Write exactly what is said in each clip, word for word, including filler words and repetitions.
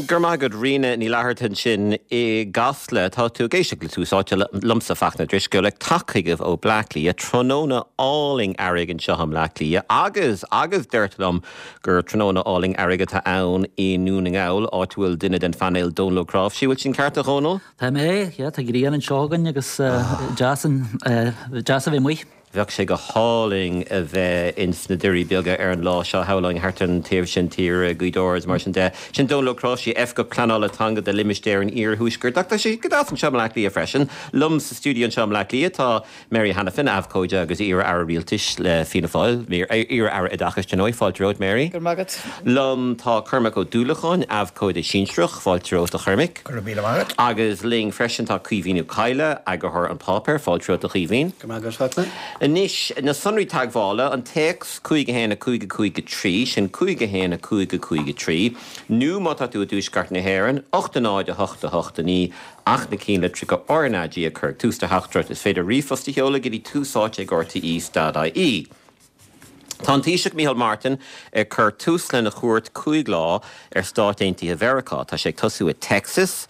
Gur maith agat Ríona Ní Fhlatharta ansin i gCasla tá tú ag éisteacht le Tús Áite liomsa Fachtna Drisceoil ag teacht chugaibh ó Bleá Cliath tráthnóna álainn earraigh anseo i mBleá Cliath agus agus deirtear liom gur tráthnóna álainn earraigh atá ann i nDún na nGall áit a bhfuil duine den phainéal Dónal Ó Cnáimhsí bhfuil sin ceart a Dhónaill? Tá mé tá grian anseo againn agus deas deas a bheith amuigh. Bheadh sé go hálainn a bheith ins na Doirí Beaga ar an lá seo shamhlóinn thart an taobh sin tíre Gaoth Dobhair mar sin de. Sin Dónal Ó Cnáimhsí Oifigeach Pleanála Teanga de Limistéar an Iarthuaiscirt. Ach tá sé go deas anseo i mBleá Cliath freisin. Liom sa stiúideo anseo i mBleá Cliath tá Mary Hanafin abhcóide agus iar-aire rialtais le Fianna Fáil, iar-aire oideachais dar ndóigh fáilte romhat Mary. Go raibh maith agat. Liom tá Cormac Ó Dúlacháin abhcóide sinsearach fáilte romhat a Chormaic. Go raibh míle maith agat. Agus linn freisin tá Caoimhín Ó Cadhla, eagarthóir An Páipéar, fáilte romhat a Chaoimhín. Go raibh maith agat Anois na sonraí teagmhála an téacs cúig a haon a cúig a cúig a trí sin cúig a haon a cúig a cúig a trí, nó má tá tú i dtuaisceart na hÉireann, ocht a náid a hocht a hocht a naoi ach na cinnlitreacha RnaG a chur ag tús do theachtaireacht is féidir ríomhphost a sheoladh go dtí túsáite ag RTE dot IE. Tá an Taoiseach Micheál Martin ag cur tús lena chuairt cúig lá ar Stáit Aontaithe Mheiriceá. Tá sé ag tosú i Texas,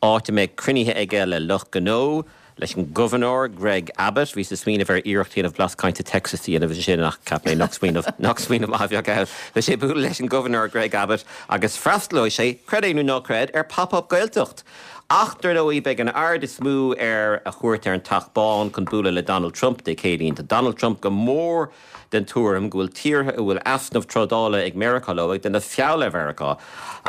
áit a mbeidh cruinnithe aige le lucht gnó, leis an gobharnóir Greg Abbott, bhíos ag smaoineamh ar iarracht a dhéanamh blas cainte Texas a dhéanamh sin ach cheap mé nach smaoineamh nach smaoineamh maith a bheadh ann. Beidh sé ag bualadh leis an gobharnóir Greg Abbott agus freastalóidh sé, creid é nó ná creid, ar Pop-up Gaeltacht. Ach dar ndóigh beidh an aird is mó ar a chuairt ar an Teach Bán chun bualadh le Donald Trump Dé Céadaoin. Tá Donald Trump go mór den tuairim go bhfuil tíortha a bhfuil easnamh trádála ag Meiriceá leo ag déanamh feall ar Mheiriceá.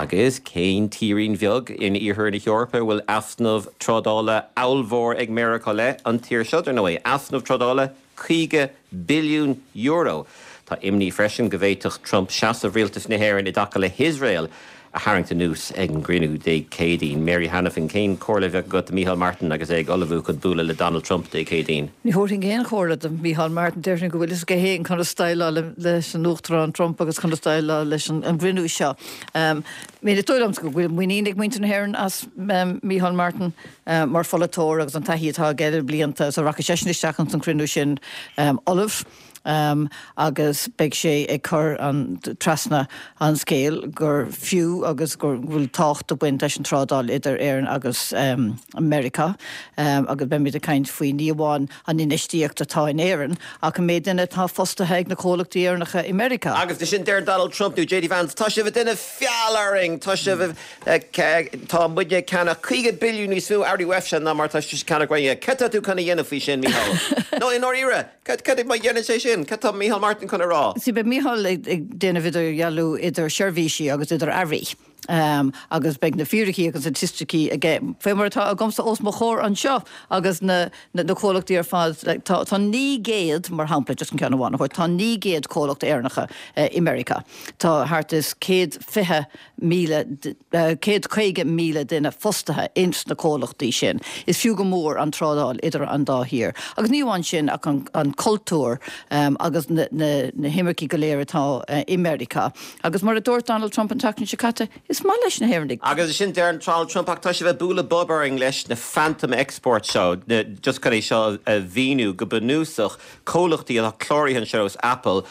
Agus cén tírín bheag in iarthar na hEorpa a bhfuil easnamh trádála ollmhór ag Meiriceá le an tír seo dar ndóigh easnamh trádála caoga billiún euro. Tá imní freisin go bhféadfadh Trump seasamh rialtas na hÉireann i dtaca le hIosrael a tharraingt anuas ag an gcruinniú Dé Céadaoin. Mary Hanafin cén chomhairle a bheadh agat do Micheál Martin agus é ag ullmhú chun bualadh le Donald Trump Dé Céadaoin. Ní thabharfainn aon chomhairle do Micheál Martin déarfainn go bhfuil a fhios aige féin conas déileáil leis an Uachtarán Trump agus conas déileáil leis an gcruinniú seo. Um, Mé dóigh go bhfuil muinín ag muintir na hÉireann as um, Micheál Martin um, mar pholaiteoir agus an taithí atá aige le blianta so rachaidh seisean isteach an cruinniú sin um, ullamh. Um, agus beidh sé ag cur an trasna an scéal gur fiú agus gur bhfuil tábhacht ag baint leis an trádáil idir Éirinn agus um, America um, agus beimid ag caint faoi ní amháin an infheistíocht atá in Éirinn ach an méid duine atá fostaithe ag na comhlachtaí Éireannacha i America. Agus de sin deir Donald Trump nó JD Vance tá sibh ag déanamh feall orainn tá sibh tá muidne ag ceannach caoga billiún níos mó earraí uaibhse ná mar tá sibh ag ceannach uainne. Cad tá tú chun a dhéanamh faoi sin Micheál? No i ndáiríre, cad má dhéanann sé sin, cad tá Micheál Martin chun a rá? Sí beidh Micheál ag déanamh idirdhealú idir seirbhísí agus idir earraí. Um, agus beidh na fíricí agus staitisticí aige fé mar atá agamsa os mo chomhair anseo agus na, na, na comhlachtaí ar fad like, tá, tá naoi gcéad mar shampla just an ceann amháin a tá naoi gcéad comhlacht Éireannacha uh, i America. Tá thart is céad fiche míle uh, céad caoga míle duine fostaithe ins na comhlachtaí sin. Is fiú go mór an trádáil idir an dá thír. Agus ní amháin sin ach an, an cultúr um, agus na, na, na himircigh go léir atá uh, i America. Agus mar a dúirt Donald Trump an tseachtain seo caite, is maith leis na hÉireannaigh. Agus sin deir Donald Trump ach tá sibh ag bualadh bob orainn leis na phantom export seo, just chun é seo a mhíniú go bunúsach comhlachtaí atá cláraithe anseo is Apple,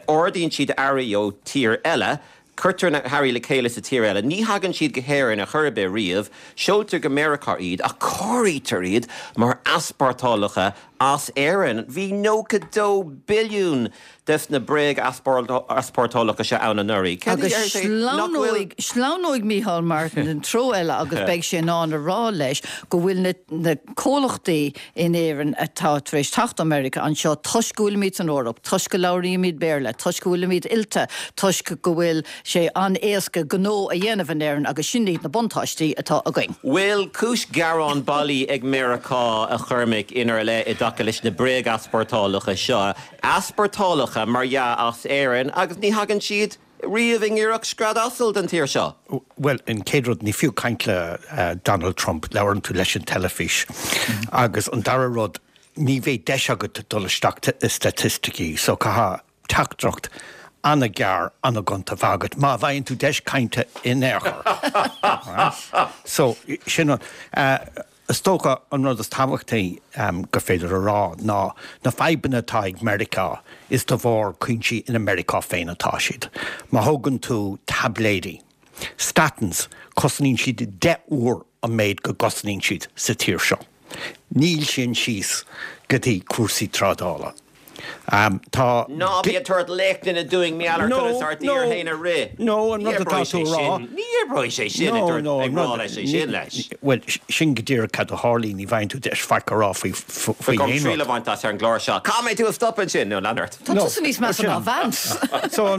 ordaíonn siad earraí ó tír eile, Cuirtear na hearraí le chéile sa tír eile, ní thagann siad go hÉirinn ar chor ar bith riamh, seoltar go Meiriceá iad ach áirítear iad mar easpórtálacha as Éirinn. Bhí nócha dó billiún des na bréag-easpórtálacha seo ann anuraidh. Agus sleamhnóidh sleamhnóidh Micheál Martin an treo eile agus beidh sé in ann a rá leis go bhfuil na, na comhlachtaí in Éirinn atá tar éis teacht America anseo toisc go bhfuilimid san Eoraip, toisc go labhraímid Béarla, toisc go bhfuilimid oilte, toisc go bhfuil sé an-éasca gnó a dhéanamh in Éirinn agus sin iad na buntáistí atá againn. Bhfuil cúis gearán bailí ag Meiriceá a Chormaic inár leith i dtaca leis na bréag-easpórtálacha seo. Easpórtálacha mar dhea as Éirinn agus ní thagann siad riamh i ngiorracht scread asail den tír seo. Well, an chéad rud ní fiú caint le uh, Donald Trump labhrann tú leis an teilifís. Agus an dara rud ní bheidh deis agat dul isteach i staitisticí, so caithfidh teachtaireacht an-ghearr an-ghonta a bheith agat má bhfaigheann tú deis cainte in aon chor. So sin an uh, Is dócha an rud is tábhachtaí um, gur féidir a rá ná na fadhbanna atá ag Meiriceá is de bharr cúinsí in America féin atá siad. Má thógann tú taibléidí Statins, cosnaíonn siad deich uair an méid go gcosnaíonn siad sa tír seo. Níl sin síos go dtí cúrsaí trádála. Um, tá Ná bí ag tabhairt léachtanna dúinn mar gheall ar conas ár dtír féin a rith. No, an rud atá tú a rá. Ní oibreoidh sé sin ag rá leis é sin leis. Well, sin go díreach cad a tharlaíonn, ní bhfaigheann tú deis faic a rá faoi faoi aon rud. Triail a bhaint as ar an gclár seo. Cá mbeidh tú ag stop ansin nó lean ort? Tá tusa níos measa ná Vance. So,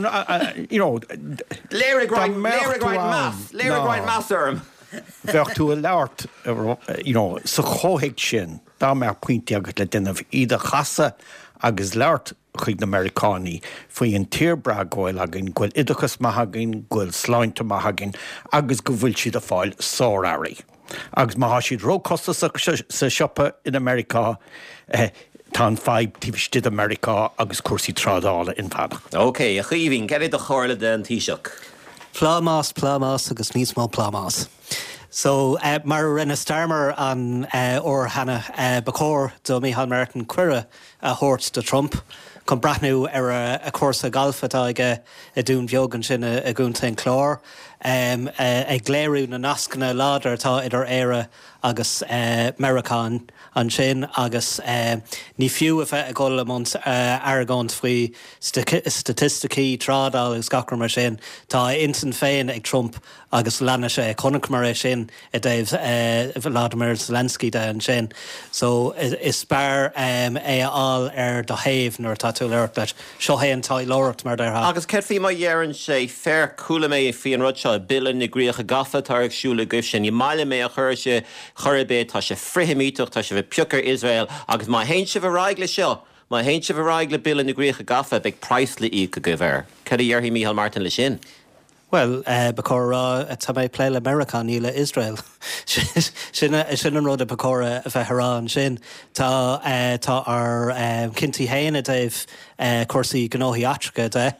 you know, Léirigh roinnt léirigh roinnt meas, léirigh roinnt meas orm. Bheadh tú ag labhairt, you know, sa chomhthéacs sin, dá mbeadh pointí agat le déanamh, iad a chasadh agus labhairt chuig na Meiriceánaigh faoi an tír breá go bhfuil againn, go bhfuil oideachas maith againn, go bhfuil sláinte maith againn agus go bhfuil siad ag fáil sár-earraí. Agus má thá siad ró-chostasach sa siopa in Americá, tá an fadhb taobh istigh de Meiriceá agus cúrsaí trádála inmheánach. Ok, a Chaoimhín, cad é do chomhairle don Taoiseach? Plámás, plámás agus níos mó plámás. So, uh, mar a rinne Starmer an uh, uair cheana uh, ba chóir do Micheál Martin cuireadh a thabhairt do Trump chun breathnú ar a, a chúrsa galf atá aige i Dún Bheag ansin i gContae an Chláir, um, uh, ag léiriú na nascanna láidir atá idir Éire agus uh, Meiriceá ansin agus uh, ní fiú a bheith ag dul i mbun uh, argóint faoi staitisticí trádáil agus gach mar sin tá intinn féin ag Trump agus leanfaidh sé chonaiceamar é sin i dtaobh uh, Vladimir Zelensky de ansin. So is, is fearr um, é a fháil ar do thaobh nuair atá tú ag labhairt leis. Seo é an taidhleoireacht mar déarfá. Agus céard faoi má dheireann sé féach chuala mé faoi an rud seo bille na gCríocha Gafa atá ar siúl agaibhse. Ní maith liom é a chur sé chor ar bith tá sé frith-Sheimíteach tá sé ag piocadh ar Iosrael agus má théann sibh ar aghaidh le seo, má théann sibh ar aghaidh le bille na gCríocha Gafa beidh praghas le íoc agaibh air. Cad a dhéarfaidh Micheál Martin le sin? Well, uh, ba chóir rá tá mé ag plé le Meiriceá ní le Israel. sin sin an rud a ba chóir a bheith rá ansin. Tá uh, tá ár uh, cinntí féin i dtaobh uh, cúrsaí gnóthaí eachtracha de.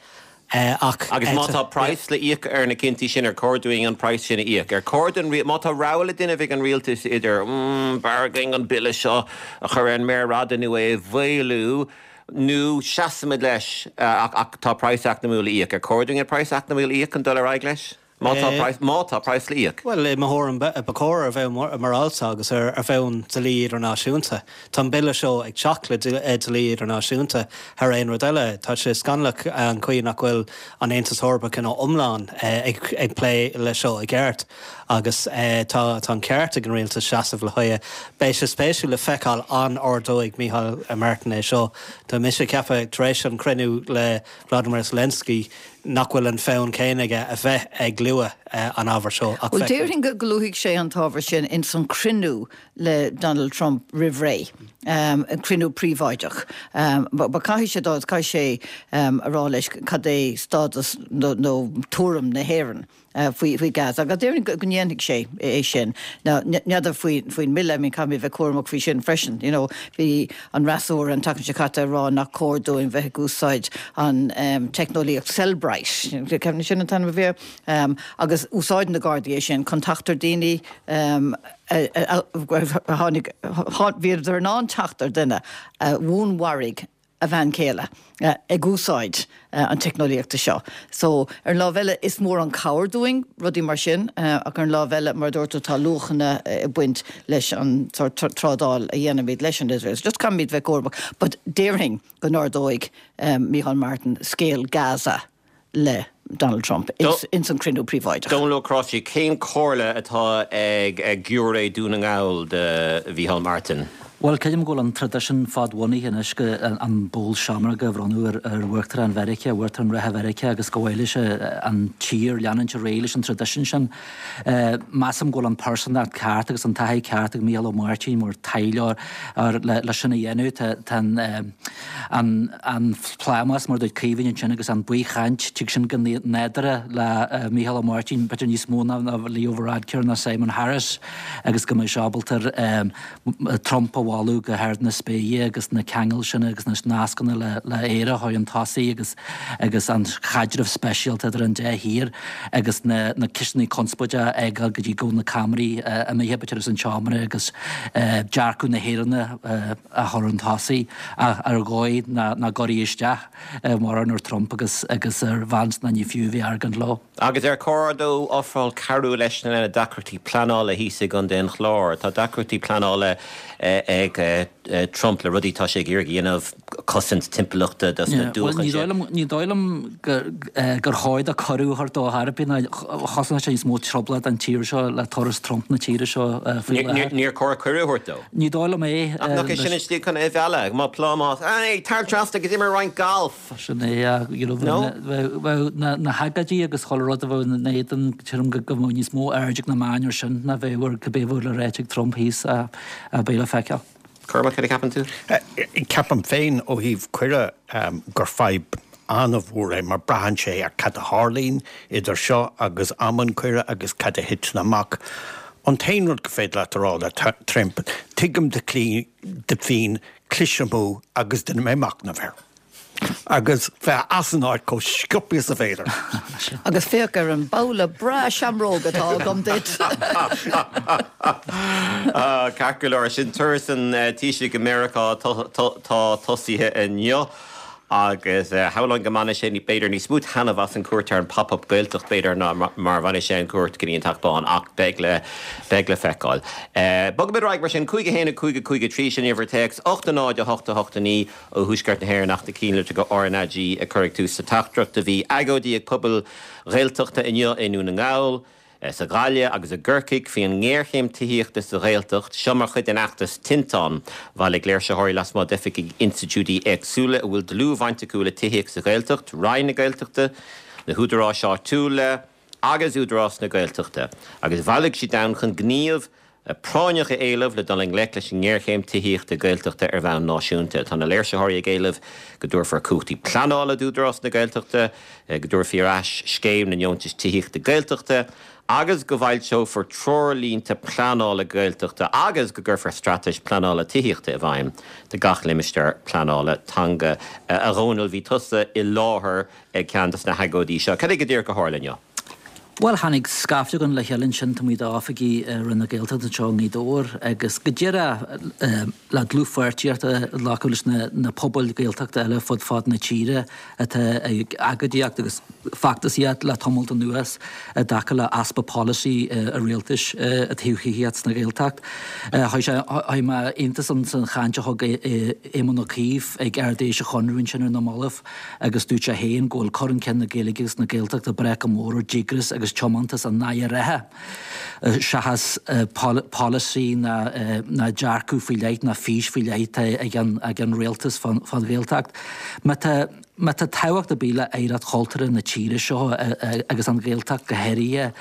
Uh, ach Agus má tá praghas le íoc ar na cinntí sin ar chóir dúinn an praghas sin a íoc. Ar chóir don má tá rogha le déanamh ag an rialtas idir mm, bargain an bille seo a chur ar an méar fhada nó é a mhaolú, nó seasaimid leis ach, ach tá praghas eacnamúil le íoc. Ar chóir dúinn an praghas eacnamúil a íoc an dul ar aghaidh leis? Má tá praghas má tá praghas le íoc. Well i mo thuairim ba chóir ar bhonn morálta agus ar ar bhonn dlí idirnáisiúnta. Tá an bille seo ag teacht le dlí idirnáisiúnta thar aon rud eile, Tá sé scannalach an chaoi nach bhfuil an Aontas Eorpach ina iomlán ag, ag plé le seo i gceart. agus tá tá an ceart ag an rialtas seasamh le haghaidh. Beidh sé spéisiúil le feiceáil an ardóidh Micheál Martin é seo. Tá mise ag ceapadh tar éis an cruinniú le Vladimir Zelensky nach bhfuil an fonn céanna aige a bheith ag lua an ábhar seo. Well déarfainn go luafaidh sé an t-ábhar sin in san cruinniú le Donald Trump roimh ré, um, an cruinniú príobháideach. Um, ba caithfidh sé dá caithfidh sé um, a rá leis cad é stádas nó, nó tuairim na hÉireann. Uh, faoi faoi Gaza agus déarfainn go ndéanfaidh sé é sin. N'fheadar faoi faoin mbille I mean caithfidh bheith cúramach faoi sin freisin. You know, bhí an freasúra an tseachtain seo caite ag rá nach cóir dúinn bheith ag úsáid an um, teicneolaíocht Cellebrite. Ceann sin an t-ainm a bhí um, agus úsáid na Gardaí é sin chun teacht ar daoine um, tháinig bhíodar in ann teacht ar duine a dhúnmharaigh a bhean chéile ag úsáid an teicneolaíochta seo. So ar an lámh eile is mór an cabhair dúinn rudaí mar sin ach ar an lámh eile mar dúirt tú tá luachanna ag baint leis an trádáil a dhéanaimid leis an Israel. So just caithfimid bheith cúramach, but déarfainn go n-ardóidh um, Micheál Martin scéal Gaza le Donald Trump ins an cruinniú príobháideach. Dónal Ó Cróisí, cén chomhairle atá ag ag giúiré Dún na nGall do Mhicheál Martin? Well creidim go bhfuil an traidisiún fadbhunaithe anois go an ból seamróg a bhronnadh ar ar Uachtarán Mheiriceá, Uachtarán reatha Mheiriceá agus go bhfuil sé an tír leanúint ar aghaidh leis an traidisiún sin. Measaim go bhfuil an pearsantacht ceart agus an taithí ceart ag Mícheál Ó Máirtín mar taidhleoir le le sin a dhéanamh tá an an an plámás mar dúirt Caoimhín ansin agus an baothchaint tig sin go nádúrtha le Mícheál Ó Máirtín b'fhéidir níos mó ná Leo Varadkar ná Simon Harris agus go mbeidh sé ábalta Trump a mholadh go hard na spéire agus na ceangail sin agus na nascanna le le Éire a chur chun tosaigh agus agus an chaidreamh speisialta idir an dá thír agus na na ceisteanna conspóide a fhágáil go dtí go bhfuil na ceamaraí imithe b'fhéidir as an tseomra agus dearcadh na hÉireann a chur chun tosaigh ach ar dhóigh nach gcuirfí isteach mórán ar Trump agus agus ar Vance ná ní fiú a bheith ag argóint leo. Agus ar chóir dó ofráil cabhrú leis na deacrachtaí pleanála thíos i gContae an Chláir? Tá deacrachtaí pleanála ag Trump le rudaí atá sé ag iarraidh a dhéanamh, cosaint timpeallachta dos na dúchan sin. Ní dóigh liom gur chóir dó cuireadh a thabhairt dó ar bith ná chosnódh sé níos mó trioblóid don tír seo le turas Trump na tíre seo faoi láthair. Níor chóir cuireadh a thabhairt dó? Ní dóigh liom é. Ach nach é sin an tslí chun é a mhealladh? Má plámás, Hey, tar trasna agus imir roinnt galf! Sin é, you know, bheadh na hagóidí agus chuile rud a bheadh ina éadan, sílim go mbeadh níos mó aird ag na meáin air sin ná bheadh ar cibé a bheadh le ráit ag Trump thíos a beidh le feiceáil. Cormac, cad a cheapann tú? Ceapaim féin ó thaobh cuireadh gur fadhb an-mhór é mar braitheann sé ar cad a tharlaíonn idir seo agus am an cuireadh agus cad a thiteann amach. An t-aon rud go féidir leat a rá le Trump, tuigim do phian, clis amú agus déanfaidh mé machnamh air. Agus bheith as an áit chomh sciobtha is a féidir. Agus féach ar an babhla breá seamróg atá agam duit. Ceart go leor, sin turas an Taoisigh i Meiriceá atá tosaithe inniu agus shamhlóinn go mbainfidh sé b'fhéidir níos mó taitneamh as an cuairt ar an Pop Up Gaeltacht b'fhéidir ná mar a bhainfidh sé an cuairt go dtí an Teach Bán ach beidh le beidh le feiceáil. Bogfaimid ar aghaidh mar sin, cúig a haon a cúig a cúig a trí sin uimhir téacs, ocht a náid a hocht a hocht a naoi ó Thuaisceart na hÉireann ach na cinnlitreacha RnaG a chur ag tús sa teachtaireacht. Bhí agóidí ag pobail Ghaeltachta inniu i nDún na nGall, sa Ghaillimh agus i gCorcaigh faoi an ngéarchéim tithíochta sa Ghaeltacht, seo mar chuid den fheachtas Tinteán. Bhailigh léirsitheoirí lasmuigh d'oifigí institiúidí éagsúla a bhfuil dlúthbhaint acu le tithíocht sa Ghaeltacht, Roinn na Gaeltachta, na húdaráis áitiúla agus Údarás na Gaeltachta, agus bhailigh siad ann chun gníomh práinneach a éileamh le dul i ngleic leis an ngéarchéim tithíochta Gaeltachta ar bhonn náisiúnta. Tá na léirsitheoirí ag éileamh go dtabharfar cumhachtaí pleanála d'Údarás na Gaeltachta, go dtabharfaí ar ais scéim na nDeontas Tithíochta Gaeltachta agus go bhfoilseofar treoirlínte pleanála Gaeltachta agus go gcuirfear straitéis pleanála tithíochta i bhfeidhm do gach limistéar pleanála teanga. A Dhónaill, bhí tusa i láthair ag ceann de na hagóidí seo. Cad é go díreach a tharla inniu? Bhuel, tháinig scaifte againn le chéile ansin taobh amuigh d'oifigí Roinn na Gaeltachta anseo i nGaoth Dobhair agus go díreach le dlúthpháirtíocht a ghlacadh leis na pobail Ghaeltachta eile fud fad na tíre atá ag agóidíocht agus feachtasaíocht le tamalt anuas i dtaca le easpa polasaí an rialtais i dtaobh thithíocht sna Ghaeltacht. Chuir mé iontas orm san chaint a thug Éamon Ó Cuív ag Ard-Fheis an Chonradh ansin ar na mallaibh agus dúirt sé féin go bhfuil cur chun cinn na Gaeilge agus na Gaeltachta ag brath go mór ar dhíograis agus tiomantas an Aire reatha seachas polasaí ná dearcadh faoi leith ná fís faoi leith atá ag an rialtas fán Ghaeltacht. Má tá má tá tábhacht ar bith le hoidhreacht chultúrtha na tíre seo agus an Ghaeltacht go háirithe,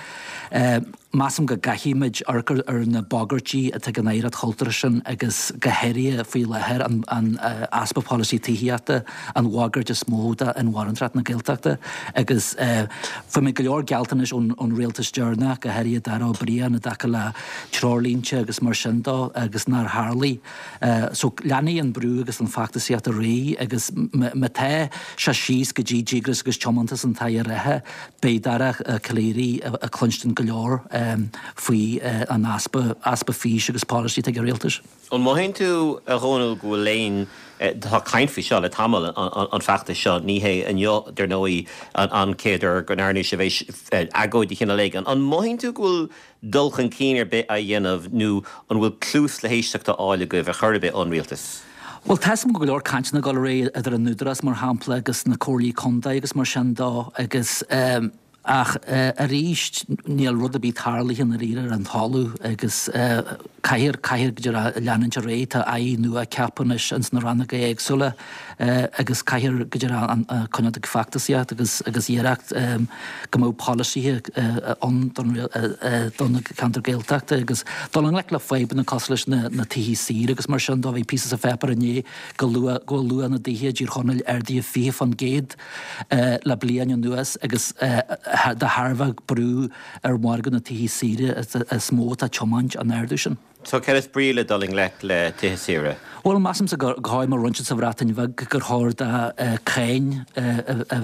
measaim go gcaithfimid amharc ar na bagairtí atá ag an oidhreacht chultúrtha sin agus go háirithe faoi láthair an easpa polasaí tithíochta, an bhagairt is mó d'inmharthanacht na Gaeltachta agus fuair muid go leor gealltanais ón rialtas deireanach, go háirithe Darragh O'Brien i dtaca le treoirlínte agus mar sin dó agus nár tharlaigh. So leanfaidh an brú agus an feachtasaíocht ar aghaidh agus má tá sé síos go dtí díograis agus tiomantas an tAire reatha, beidh Dara Calleary ag cluinstin go leor faoi an easpa easpa fís agus polasaí atá ag an rialtas. An mothaíonn tú, a Dhónaill, go bhfuil aon, tá caint faoi seo le tamall, an feachtas seo, ní hé inniu, dar ndóigh, an chéad uair go ndearna sibh agóid de chineál éigin. An mothaíonn tú go bhfuil dul chun cinn ar bith á dhéanamh nó an bhfuil cluas le héisteacht á fháil agaibh ar chor ar bith ón rialtas? Bhuel, tá a fhios agam go leor cainteanna ag dul ar aghaidh idir an Údarás, mar shampla, agus na comhairlí contae agus mar sin dó agus ach arís níl rud ar bith tarlaithe i ndáiríre ar an talamh agus caithfear, caithfear go díreach leanúint ar aghaidh. Tá airí nua ceaptha anois ins na rannóga éagsúla agus caithfear go díreach coinneáil ag feachtasaíocht agus agus iarracht go mbeadh polasaithe ann don do na ceantair Gaeltachta agus dul i ngleic le fadhbanna cosúil leis na na tithe saoire agus mar sin dó. Bhí píosa sa pháipéar inné go luath go bhfuil luach na dtithe i dTír Chonaill ardaithe fiche fán gcéad le bliain anuas agus de thairbhe brú ar mhargadh na tithe saoire is mó atá ag tiomáint an ardú sin. So céard is brí le dul i ngleic le tithe saoire? Bhuel, measaimse go háirithe mar roinnt sa Bhreatain Bheag gur chóir do cáin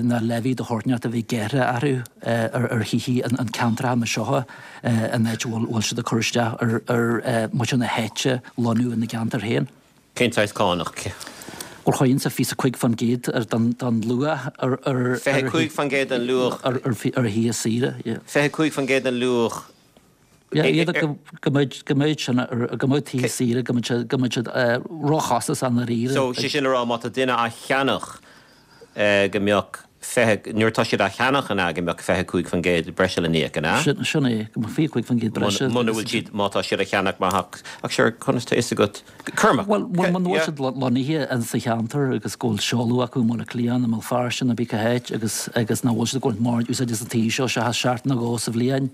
ná levy de shórt inteacht a bheith gearrtha orthu ar thithe an ceantracha mar seo an áit a bhfuil siad ag cur isteach ar muintir na háite lonnú ina gceantar féin. Cén saghas cánach? Bhuel, chuirfinnse fiche cúig faoin gcéad den den luach ar ar Fiche cúig faoin gcéad den luach ar ar thithe saoire, yeah. Fiche cúig faoin gcéad den luach Yeah, iad go go mbeidh go mbeidh sin go mbeidh tithe saoire go mbeidh siad go mbeidh siad róchostasach i ndáiríre. So sé sin a rá má tá duine á cheannach go mbeadh fiche nuair atá siad á cheannach an ea go mbeadh fiche cúig faoin gcéad breise le n-íoc an ea? Sin sin é go mbeadh fiche cúig faoin gcéad breise. Muna bhfuil siad má tá siad á cheannach mar theach ach sure conas tá fhios agat Cormac? Bhuel bhuel muna bhfuil siad lonnaithe in sa cheantar agus go bhfuil seoladh acu i mBaile Átha Cliath nó i mBéal Feirste nó cibé cá háit agus agus nach bhfuil siad ag baint mórán úsáid as an tí seo seachas seachtain nó dhó sa bhliain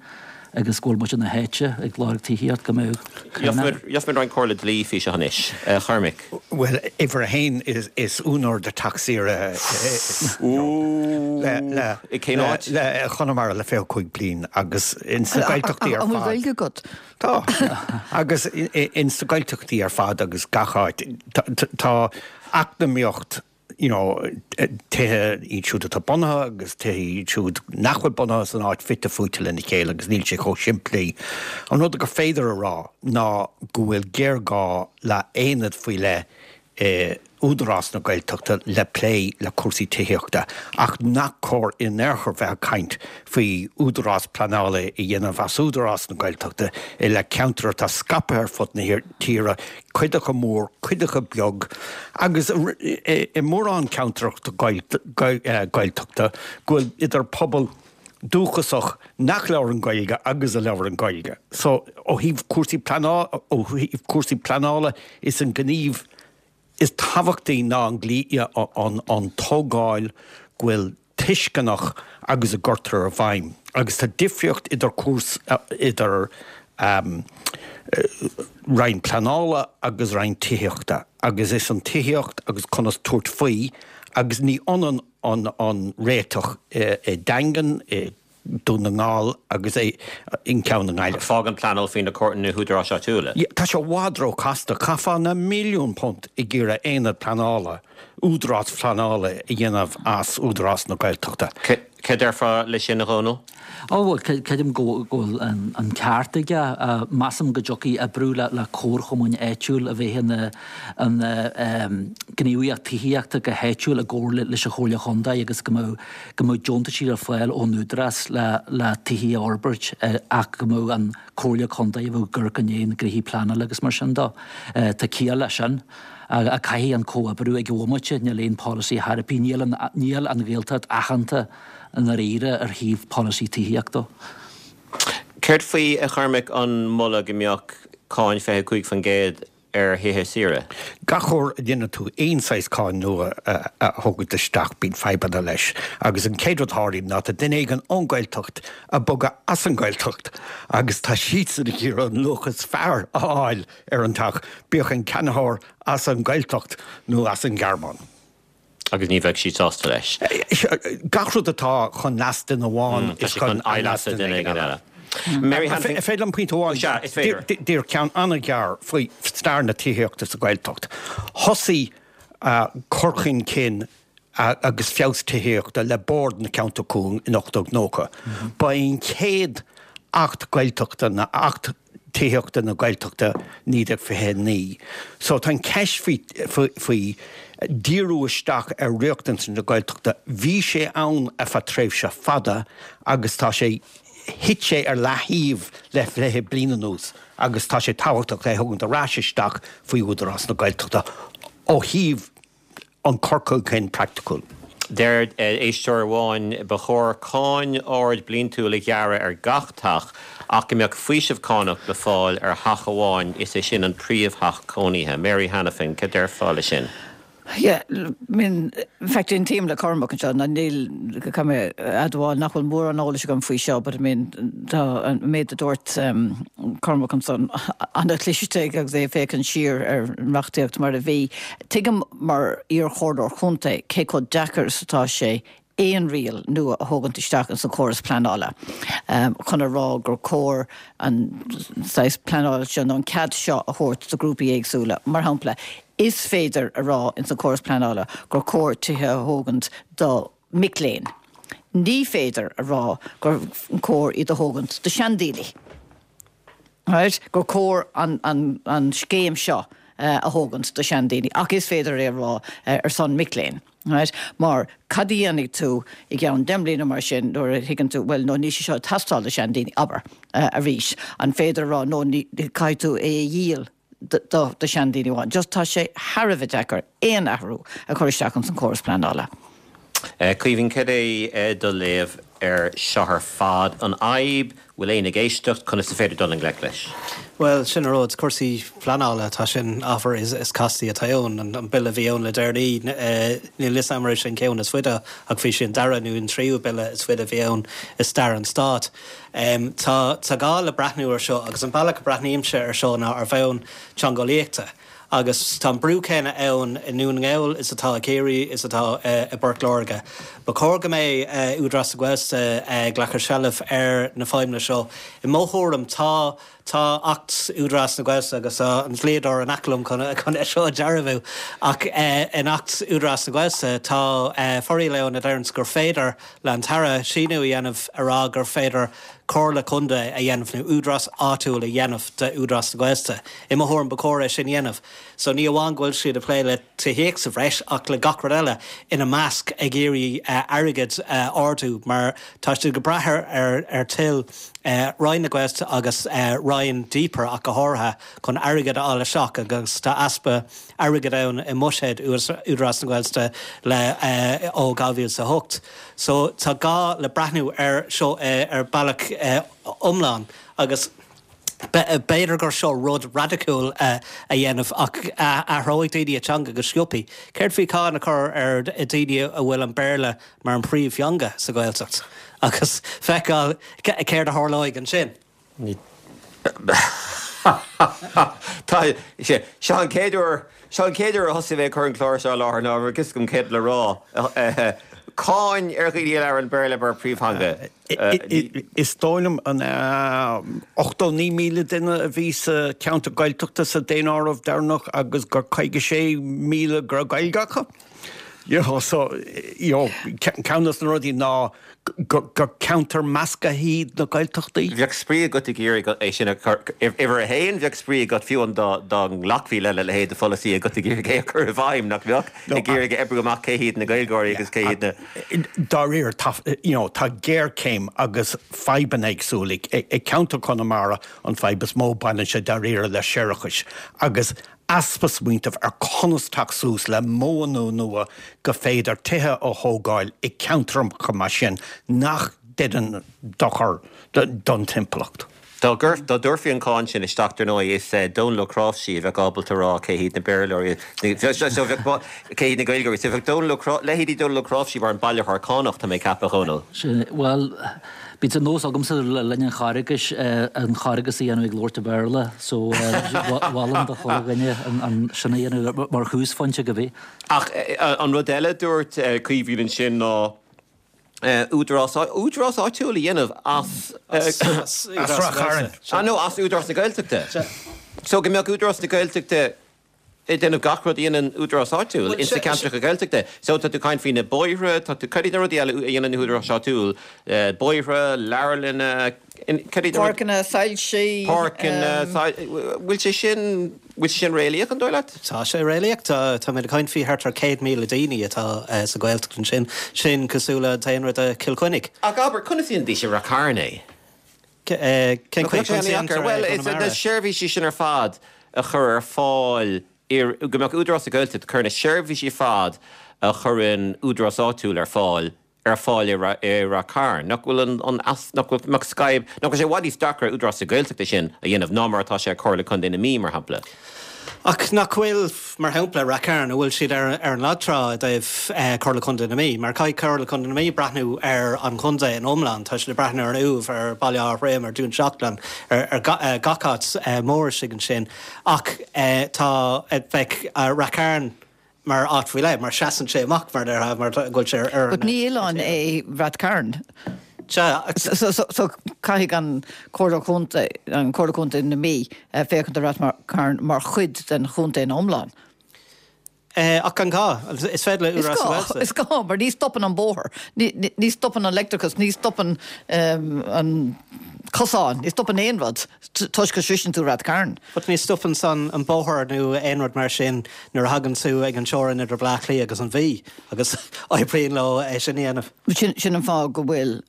agus go bhfuil muid ina háite ag lorg tithíocht go mbeadh Gheobhaimid gheobhaimid roinnt comhairle dlí faoi seo anois. A Chormaic. Bhuel, uimhir a haon is is úinéir de teach saoire le le I cén áit? le Chonamara le fiche cúig bliain agus in sna Gaeltachtaí ar An bhfuil fad. Gaeilge agat? Tá. Agus in sna Gaeltachtaí ar fad agus gach áit tá eacnamaíocht you know, tithe iad siúd atá bunaithe agus tithe iad siúd nach bhfuil bunaithe san áit fite fuaite lena chéile agus níl sé chomh simplí. An rud gur féidir a rá ná go bhfuil géarghá le aonad faoi leith i Údarás na Gaeltachta le plé le cúrsaí tithíochta ach nach cóir in aon chor bheith ag caint faoi údarás pleanála a dhéanamh as Údarás na Gaeltachta i leith ceantar atá scaipthe ar fud na tíre, cuid acu mór, cuid acu beag agus i mórán ceantracha Gaeltachta go bhfuil idir pobal dúchasach nach labhrann Gaeilge agus a labhrann Gaeilge. So ó thaobh cúrsaí pleanála, ó thaobh cúrsaí pleanála is an gníomh is tábhachtaí ná an an an tógáil go bhfuil tuisceanach agus a gcuirtear i bhfeidhm. Agus tá difríocht idir cúrsa idir um, roinn pleanála agus roinn tithíochta, agus is an tithíocht agus conas tabhairt faoi agus ní ionann an an réiteach i Daingean, i Dún na nGall agus é in ceann na nGaillimh. Fágann pleanáil faoi na na húdaráis áitiúla. Tá sé i bhfad róchasta, chaithfeá na milliún punt ag iarraidh aonad pleanála, údarás pleanála a dhéanamh as Údarás na Gaeltachta. Cé déarfá leis sin a Dhónaill? Ó bhuel creidim go bhfuil an ceart aige. Measaim go dtiocfaidh oibriú le comharchumainn áitiúil a bheith ina gníomhaíocht tithíochta go háitiúil i gcomhar leis an Chomhairle Chontae agus go mbeadh go mbeadh deontaisí ar fáil ón Údarás le le tithí a fhorbairt ach go mbeadh an Comhairle Contae a bheadh ag amharc i ndiaidh na gnoithí pleanála agus mar sin de. Tá ciall leis sin. A caithfidh an comhoibriú ag an bhomaite, níl aon polasaí thar bith, níl an níl an Ghaeltacht aitheanta i ndáiríre ar thaobh polasaí tithíochta. Céard faoi, a Chormaic, an moladh go mbeadh cáin fiche cúig faoin gcéad ar thithe saoire? Gach uair a dhéanann tú aon saghas cáin nua a thógaint isteach bíonn fadhbanna leis agus an chéad rud a tharlaíonn ná tá duine éigin ón Ghaeltacht ag bogadh as an Ghaeltacht agus tá siadsan ag iarraidh an luach is fearr a fháil ar an teach, bíodh an ceannaitheoir as an Ghaeltacht nó as an Ghearmáin. Agus ní bheadh siad sásta leis. Gach rud atá chun leas duine amháin is chun leas duine éigin eile. Mary Hanafin. An féidir liom pointe amháin? Sea, is féidir. Díreach ceann an-ghearr faoi stair na tithíochta sa Ghaeltacht. Thosaigh cur chun cinn agus feabhas tithíochta le Bord na Ceantar Cúng in ocht déag nócha. Ba é an chéad Acht Gaeltachta ná Acht Tithíochta na Gaeltachta naoi déag fiche a naoi. So tá an ceist faoi faoi díriú isteach ar riachtanais na Gaeltachta, bhí sé ann ar feadh tréimhse fada agus tá sé, thit sé ar leaththaobh le fiche bliain anuas agus tá sé tábhachtach é a thógaint ar ais isteach faoi Údarás na Gaeltachta ó thaobh an cur chun cinn praiticiúil. Deir éisteoir amháin, Ba chóir cáin ard bliantúil a ghearradh ar gach teach ach go mbeadh faoiseamh cánach le fáil ar theach amháin, is é sin an príomhtheach cónaithe. Mary Hanafin, cad déarfá leis sin? Yeah, I mean, in fact, aontaím le Cormac anseo, ná níl, caithfidh mé a admháil nach bhfuil mórán eolais agam faoi seo, but I mean, tá an méid a dúirt um, Cormac ansan an-chliste agus é ag féachaint siar ar an reachtaíocht mar a bhí. Tuigim mar iarchomhairleoir contae cé chomh deacair is atá sé aon riail nua a thógaint isteach ins an chóras pleanála chun a rá gur cóir an saghas pleanála seo nó an cead seo a thabhairt do ghrúpaí éagsúla. Mar shampla, is féidir a rá ins an chóras pleanála gur cóir tithe a thógaint do mic léinn. Ní féidir a rá gur cóir iad a thógaint do seandaoine. Right? Gur cóir an, an, an scéim seo a thógaint do seandaoine, ach is féidir é a rá ar son mic léinn. Right? Mar cad a dhéanfaidh tú i gceann deich mbliana mar sin nuair a thuigeann tú, bhuel, no níl sé seo ag teastáil do seandaoine, abair, arís. An féidir a rá, no ní, caithfidh tú é a dhíol do, do, do seandaoine amháin. Just tá sé thar a bheith deacair aon athrú a chur isteach ins an córas pleanála. Caoimhín, cad é do léamh ar seo ar fad? An fhadhb, bhfuil éinne ag éisteacht, conas is féidir dul i ngleic leis? Bhuel, sin an rud, cúrsaí pleanála, tá sin ábhar is, is castaí atá ann. An, an bille a bhí ann le deireanaí, níl fhios agam an raibh sé an ceann is faide ach bhí sé an dara nó an tríú bille is faide a bhí ann i stair an stáit. Tá, tá gá le breathnú ar seo agus an bealach a breathnaímse ar seo ná ar bhonn teangeolaíochta. Agus tá an brú céanna ann i nDún na nGall is atá i gCiarraí is atá i bPort Láirge. Ba chóir go mbeidh Údarás na Gaeltachta ag glacadh seilbh ar na feidhmeanna seo. I mo thuairim tá tá Acht Údarás na Gaeltachta agus tá an dlíodóir in aice liom chun chun é seo a dhearbhú ach in Acht Údarás na Gaeltachta tá foráil ann a deireanns gur féidir le an tAire síniú a dhéanamh a rá gur féidir comhairle contae a dhéanamh nó údarás áitiúil a dhéanamh de Údarás na Gaeltachta. I mo thuairim ba chóir é sin a dhéanamh. So ní amháin go bhfuil siad ag plé le tithíocht sa bhreis ach le gach rud eile, ina measc ag iarraidh airgead a ardú mar tá siad ag brath ar ar toil Roinn na Gaeltachta agus Roinn DPER ach go háirithe chun airgead a fháil isteach agus tá easpa airgid ann i mbuiséad Údarás na Gaeltachta le ó dhá mhíle is a hocht. So tá gá le breathnú ar seo ar bealach iomlán agus b'fhéidir gur seo rud raidiciúil a dhéanamh ach athróidh daoine a teanga go sciobtha. Céard faoi cáin a chur ar daoine a bhfuil an Béarla mar an príomhtheanga sa Ghaeltacht agus feiceáil céard a tharlóidh ansin? Tá sé, seo an chéad uair, seo an chéad uair a thosaigh mé ag cur an clár seo i láthair ná raibh fhios agam céard le rá. Cáin ar dhaoine a labhrann Béarla mar príomhtheanga. Is dóigh liom an ochtó naoi míle duine a bhí sa cheantar Gaeltachta sa daonáireamh deireanach agus gur caoga sé míle go raibh Gaeilge acu. You know, so, you know, ceann de na rudaí ná gur ceantar measctha iad na Gaeltachtaí. Bheadh spraoi agat ag iarraidh é sin a chur, uimhir a haon, bheadh spraoi agat fiú an dá dá nglacfaí lena leithéid de pholasaí agat ag iarraidh é a chur i bhfeidhm, nach mbeadh? Ag iarraidh a oibriú amach cé hiad na Gaeilgeoirí agus cé hiad na. Dáiríre, tá, you know, tá géarchéim agus fadhbanna éagsúla ag ceantar Chonamara, an fadhb is mó baineann sé dáiríre le séarachais agus easpa smaointimh ar conas teacht suas le modhanna nua go féidir tithe a thógáil i gceantracha mar sin nach ndéanann dochar don timpeallacht. Dá dtabharfaí an cáin sin isteach, dar ndóigh, is Dónal Ó Cnáimhsí a bheadh ábalta a rá cé hiad na Béarlóirí, cé hiad na Gaeilgeoirí. So bheadh Dónal Ó leithéidí Dónal Ó Cnáimhsí mar an bailitheoir cánach, tá mé ag ceapadh, a Dhónaill. Bhuel, Bíonn sé nós agamsa le linn an Charghais an Charghas a dhéanamh ag labhairt i Béarla so mholfainn do chuile dhuine an sin a dhéanamh mar thúsphointe go bith. Ach an rud eile a dúirt Caoimhín ansin ná údarás údarás áitiúil a dhéanamh as As Ráth Chairn. Ah no, as Údarás na Gaeltachta. So go mbeadh Údarás na Gaeltachta ag déanamh gach rud a dhéanann údarás áitiúil ins na ceantracha Gaeltachta. So tá tú ag caint faoi na bóithre, tá tú, cad iad na rudaí eile a dhéanann na húdaráis áitiúil? Bóithre, leabharlanna, cad iad na rudaí? Páirceanna, soilsí. Páirceanna, bhfuil sé sin, bhfuil sé sin réalaíoch, an dóigh leat? Tá sé réalaíoch. Tá, táimid ag caint faoi thart ar céad míle daoine atá sa Ghaeltacht ansin. Sin cosúil le daonra de Chill Chainnigh. Ach abair, conas a dhéanfaidís i Rath Cairn é? Cén chaoi? Conas a dhéantar é i Bhuel, gConamara? na seirbhísí sin ar fad a chur ar fáil, go mbeadh Údarás na Gaeltachta ag cur na seirbhísí ar fad a chuireann údarás áitiúil ar fáil, ar fáil i Rath Cairn. Nach bhfuil an, an, nach bhfuil, mbeadh scaib, nach bhfuil sé i bhfad níos deacra ar Údarás na Gaeltachta sin a dhéanamh ná mar atá sé ar Chomhairle Contae na Mí, mar shampla? Ach nach bhfuil, mar shampla, Rath Cairn, an bhfuil siad ar ar an lag trá i dtaobh Comhairle Contae na Mí? Mar caithfidh Comhairle Contae na Mí breathnú ar an chontae in iomlán. Tá siad ag breathnú ar an Uaimh, ar Baile Átha Throim, ar Dún Seachlainn, ar ar gach áit mór istigh ansin. Ach tá, bheadh Rath Cairn mar áit faoi leith, mar seasann sé amach mar déarfá mar go bhfuil sé ar But ní oileán é Rath Cairn. Sea, So, so, so caithfidh an Comhairle Contae an Comhairle Contae na Mí féachaint ar Rath Cairn mar chuid den chontae in iomlán. Eh, ach an gá is féidir le Is Údarás gá, na Gaeltachta. is gá, mar ní stopann an bóthar, ní, ní, ní stopann an leictreachas, ní stopann um, an cosán, ní stopann aon rud toisc go sroiseann tú Rath Cairn. But ní stopann san an bóthar nó aon rud mar sin nuair a thagann tú ag an teorainn idir Bleá Cliath agus an Mhí agus oibríonn leo é sin a dhéanamh. Sin, sin an fáth go bhfuil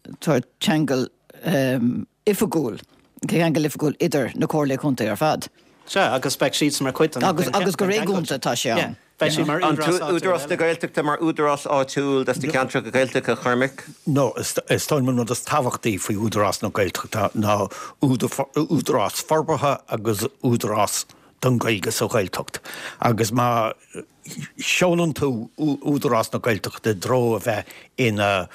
ceangal um, oifigiúil, ceangal oifigiúil idir na comhairlí contae ar fad. Sea, agus beidh siad mar chuid den- Agus, den- agus go den cheangal. réigiúnta tá sé ann. Beidh siad mar An údarás áitiúil Údarás na eile. Gaeltachta mar údarás áitiúil des na ceantracha Gaeltachta a Chormaic? No, is is dóigh liom an rud is tábhachtaí faoi Údarás na Gaeltachta ná údarás forbartha agus údarás don Ghaeilge sa Ghaeltacht. Agus má sheolann tú Údarás na Gaeltachta i dtreo a bheith ina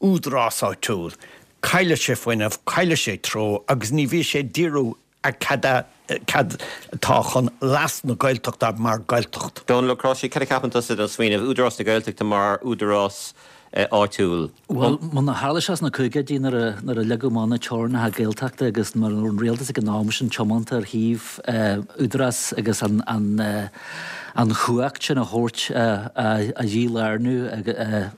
údarás áitiúil, Cailleann sé fuinneamh, cailleann sé treo agus ní bhíonn sé díriú ar cad cad atá chun leas na Gaeltachta mar Gaeltacht. Dónal Ó Cróisí, cad a cheapann tusa den smaoineamh Údarás na Gaeltachta mar údarás eh, áitiúil. Well mar a tharla sé sna caogaidí nuair a nuair a leagadh amach na teorainneacha Gaeltachta agus mar an rialtas ag an am sin tiomanta ar thaobh eh, údarás agus an an eh, an chumhacht sin a thabhairt a, a dhílárnú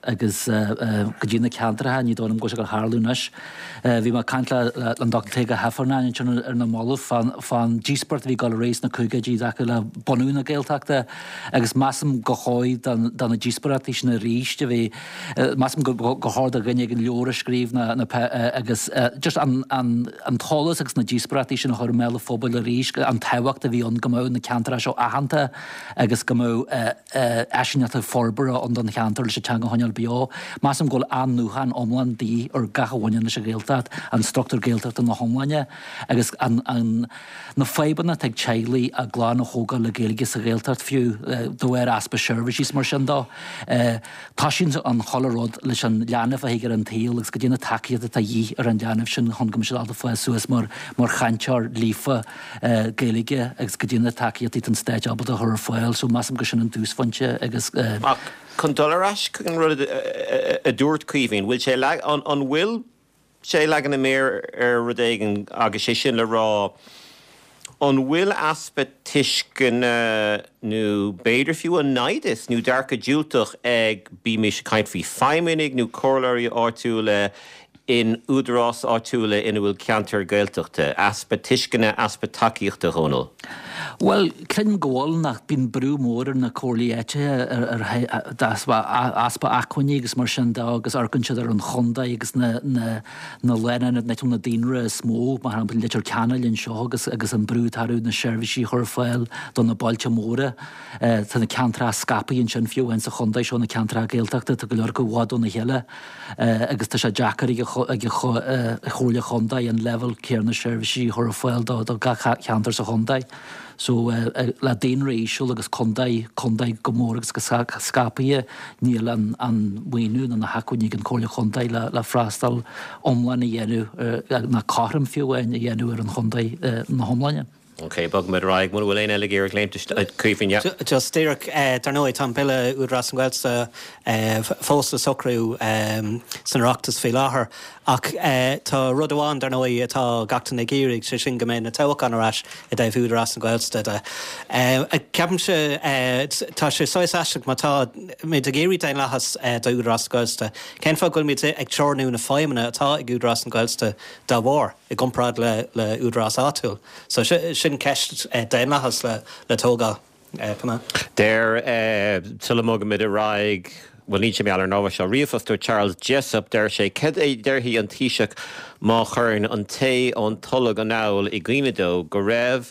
agus go dtí na ceantracha ní dóigh liom go sé go tharlú anois. Bhí mé ag caint le an Dr. Tadhg Ó hIfearnáin sin ar na mallaibh fán díospóireacht a bhí ag dul ar aghaidh sna caogaidí i dtaca le bunú na Gaeltachta agus measaim go chóir do na díospóireachtaí sin arís a bhí measaim go chóir do dhuine ag an leabhar a scríobh na, na, agus just an, an, an t-eolas agus na díospóireachtaí sin a chur i mbéal an phobail arís an tábhacht a bhí ann go mbeadh na ceantracha seo aitheanta agus go mbeadh áiseanna forbartha ann don cheantar leis an teanga a choinneáil beo. Measaim go bhfuil athnuachan iomlán de dhíth ar gach a bhaineann leis an Ghaeltacht, an struchtúr Gaeltachta na hiomláine agus an, an, na fadhbanna ag teaghlaigh a gclann a thógáil le Gaeilge sa Ghaeltacht fiú de bharr easpa seirbhísí mar sin dó. Tá sin an chuile rud leis an leanbh a thig ar an tsaol agus go dtí na tacaíochtaí atá de dhíth ar an leanbh sin chun go mbeidh sé fáil suas mar mar chainteoir líofa Gaeilge agus go dtí na tacaíochtaí an stáit ábalta a chur ar fáil, so measaim go sin an túsphointe agus Ach chun dul ar ais chuig an rud a dúirt Caoimhín, bhfuil sé an an bhfuil sé leagan na méar ar rud éigin agus sé sin le rá an bhfuil easpa tuisceana nó b'fhéidir fiú an naimhdeas nó dearcadh diúltach ag bímis ag caint faoi feidhmeannaigh nó comhairleoirí áitiúla in údarás áitiúla ina bhfuil ceantar Gaeltachta, easpa tuisceana easpa tacaíochta Dhónaill. Well, cluinim go bhfuil nach bíonn brú mór ar na comhairlí áitiúla ar easpa acmhainní agus mar sin de agus amharcann siad ar an chontae agus na na na lena na na daonra is mó mar shampla Leitir Ceanainn anseo agus agus an brú atá na seirbhísí chur ar fáil do na bailte móra Tá na ceantracha scaipthe ansin fiú sa chontae seo na ceantracha Gaeltachta tá go leor acu i bhfad óna chéile agus tá sé deacair ag ag Chomhairle Chontae an leibhéal céanna seirbhísí chur ar fáil do do gach ceantar sa chontae. So le daonra íseal agus contae contae go mór agus go scaipthe níl an an maoiniú na na hacmhainní ag an Chomhairle Chontae le le freastal iomlán a dhéanamh na cothrom fiú a dhéanamh ar an chontae na hiomláine. Ok, bogfaimid ar aghaidh mura bhfuil éinne eile ag iarraidh léimt Caoimhín Just díreach dar ndóigh tá an bille Údarás na Gaeltachta fós le socrú san Oireachtas faoi láthair ach tá rud amháin dar ndóigh atá gach duine ag iarraidh sé sin go mbeidh na toghcháin ar ais i dtaobh Údarás na Gaeltachta de. Ceapaimse tá sé saghas aisteach má tá muid ag iarraidh daonlathas do Údarás na Gaeltachta. Cén fáth go bhfuil muid ag teorannú na feidhmeanna atá ag Údarás na Gaeltachta dá bharr i gcomparáid le le údarás áitiúil. So sin ceist daonlathas le le tógáil. Deir sula mbogaimid ar aghaidh Well ní sé meall ar náha seo ríomhphost ó Charles Jessup deir sé cad é déarfaidh an Taoiseach má chuireann an té ón Tolg anall i gcuimhne dó go raibh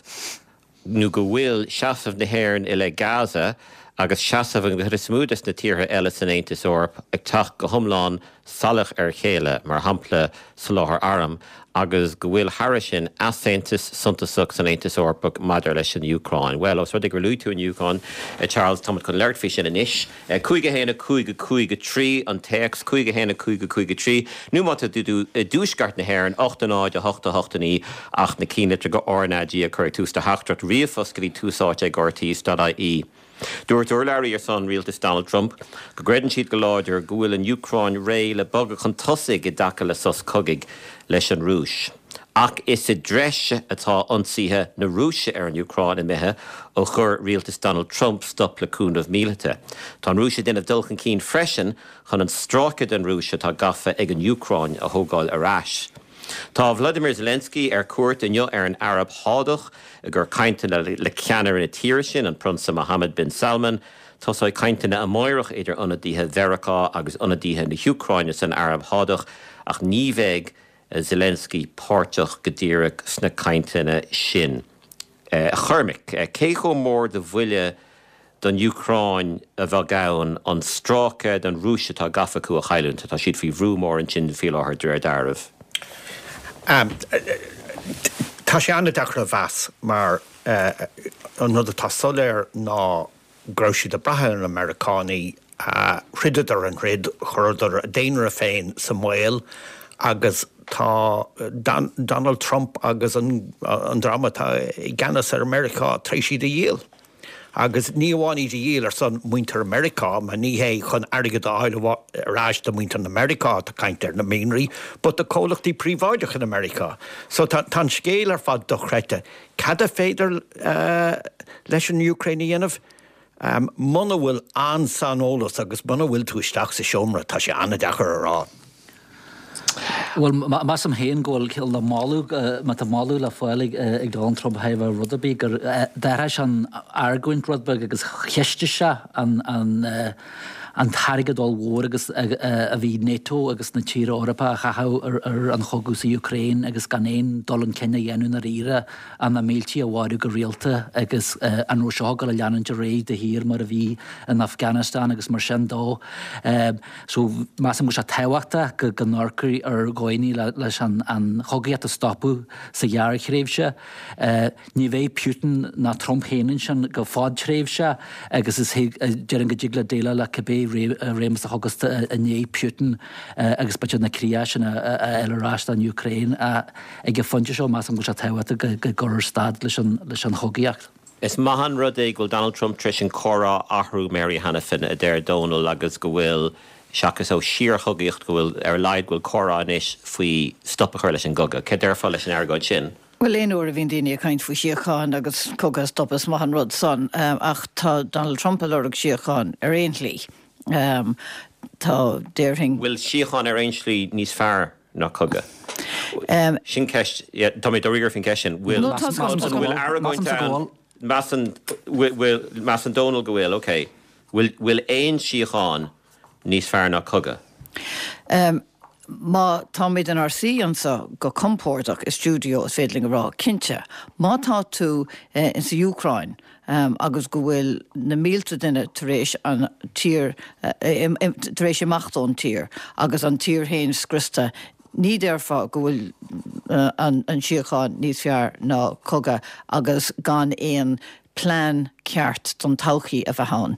nó go bhfuil seasamh na hÉireann i leith Gaza agus seasamh an chuid is mó des na tíortha eile san Aontas Eorpach ag teacht go hiomlán salach ar chéile mar shampla soláthar arm agus go bhfuil thar sin easaontas suntasach san Aontas Eorpach maidir leis an Úcráin. Well os rud é gur luaigh tú an Úcráin Charles tá chun labhairt faoi sin anois. Cúig a haon a cúig a cúig a trí an téacs cúig a haon a cúig a cúig a trí, nó má tá tú i dtuaisceart na hÉireann ocht a náid a hocht a hocht a naoi ach na cinnlitreacha RnaG a chur ag tús do theachtaireacht ríomhphost go dtí tús áite ag RTÉ.ie. Dúirt urlabhraí ar son rialtas Donald Trump go gcreideann siad go láidir go bhfuil an Úcráin réidh le bogadh chun tosaigh i dtaca le sos cogaidh leis an Rúis. Ach is i dtreis atá ionsaithe na Rúise ar an Úcráin imithe ó chuir rialtas Donald Trump stop le cúnamh míleata. Tá an Rúis ag déanamh dul chun cinn freisin chun an stráice den Rúis atá gafa ag an Úcráin a thógáil ar ais. Tá Vladimir Zelensky ar cuairt inniu ar an Araib Shádach i gcomhair cainteanna le ceannaire na tíre sin, an Prionsa Mohammed bin Salman. Tosóidh cainteanna amárach idir ionadaithe Mheiriceá agus ionadaithe na hÚcráine san Araib Shádach ach ní bheidh Zelensky páirteach go díreach sna cainteanna sin. A Chormaic, cé chomh mór de bhuille don Úcráin a bheadh ann an stráice den Rúis atá gafa acu a chailliúint? Tá siad faoi bhrú mór ansin faoi láthair de réir dealraimh. Tá sé an-deacair a mheas mar an rud atá soiléir ná go raibh siad ag brath ar na Meiriceánaigh, throideadar an troid, chuireadar a daonra féin sa mbaol agus tá Donald Trump agus an dream atá i gceannas ar Meiriceá tar éis iad a dhíol. Agus ní amháin iad a dhíol ar son muintir Meiriceá, mar ní hé chun airgead a fháil ar ais do mhuintir na Meiriceá atá caint ar na mianraí, but do comhlachtaí príobháideacha na Meiriceá. So tá an scéal ar fad dochreidte. Cad a féidir leis an Úcráin a dhéanamh? Muna bhfuil an-saineolas agus muna bhfuil tú isteach sa seomra, tá sé an-deacair a rá. Bhuel, measaim féin go bhfuil le moladh, má tá moladh le fáil ag Donald Trump thar rud ar bith, gur d'athraigh sé an argóint rud beag agus cheistigh sé an an t-airgead ollmhór agus a bhí NATO agus na tíortha Eorpacha a chaitheamh ar an chogadh sa Úcráin agus gan aon dul chun cinn a dhéanamh i ndáiríre ach na mílte a mharú go rialta agus an raibh seo ag dul a leanúint ar aghaidh de shíor mar a bhí in Afghanistan agus mar sin dó. So measaim go bhfuil sé tábhachtach go go n-amharcfaí ar dhóigheanna leis an an chogaíocht a stopadh sa ghearrthréimhse. Ní bheidh Putin ná Trump féin ansin go fadtréimhse agus is déarfainn go dtig le déileáil le cibé réimeas a thiocfas i ndiaidh Putin agus b'fhéidir na críocha sin a fháil ar ais don Úcráin. Ag an phointe seo measaim go bhfuil sé tábhachtach go gcuirfear stad leis an chogaíocht. Is maith an rud é go bhfuil Donald Trump tar éis an comhrá a athrú, Mary Hanafin, a deir Dónal, agus go bhfuil, seachas ó síorchogaíocht, go bhfuil, ar a laghad, go bhfuil comhrá anois faoi stop a chur leis an gcogadh. Céard déarfá leis an argóint sin? Bhuel, aon uair a bhíonn daoine ag caint faoi shíocháin agus cogadh a stopadh, is maith an rud san, ach tá Donald Trump ag lorg síocháin ar aon shlí. Tá, déarfainn. Bhfuil síocháin ar aon slí níos fearr ná cogadh? Sin ceist, tá mé dáiríre faoin gceist sin. Bhfuil, bhfuil argóint ann? Measann, bhfuil, measann Dónal go bhfuil, ok. Bhfuil, bhfuil aon síocháin níos fearr ná cogadh? Má táimid inár suí anseo go compordach i stiúideo is féidir linn a rá, cinnte, má tá tú insa Úcráin agus go bhfuil na mílte duine tar éis an tír, tar éis imeacht ón tír agus an tír féin scriosta, ní déarfá go bhfuil an síocháin níos fearr ná cogadh agus gan aon plean ceart don todhchaí a bheith ann.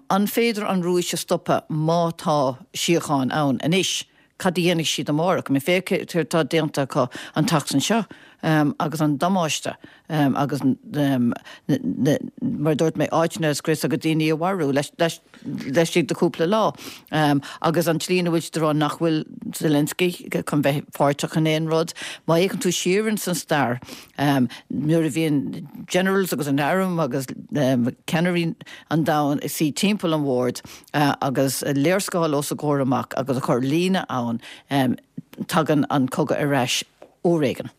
An féidir an Rúis a stopadh má tá síocháin ann anois? Cad a dhéanfaidh siad amárach? I mean, féach céard atá déanta acu an tseachtain seo agus an damáiste agus mar a dúirt mé, áiteanna a scrios agus daoine a mharú laistigh de chúpla lá. Agus an tslí ina bhfuil siad ag rá nach bhfuil Zelensky chun bheith páirteach in aon rud. Má fhéachann tú siar ins an stair, nuair a bhíonn generals agus an arm agus ceannairí an domhain ag suí timpeall an bhoird agus léarscáil os a gcomhair amach agus ag cur líne ann, tagann an cogadh ar ais uair éigin.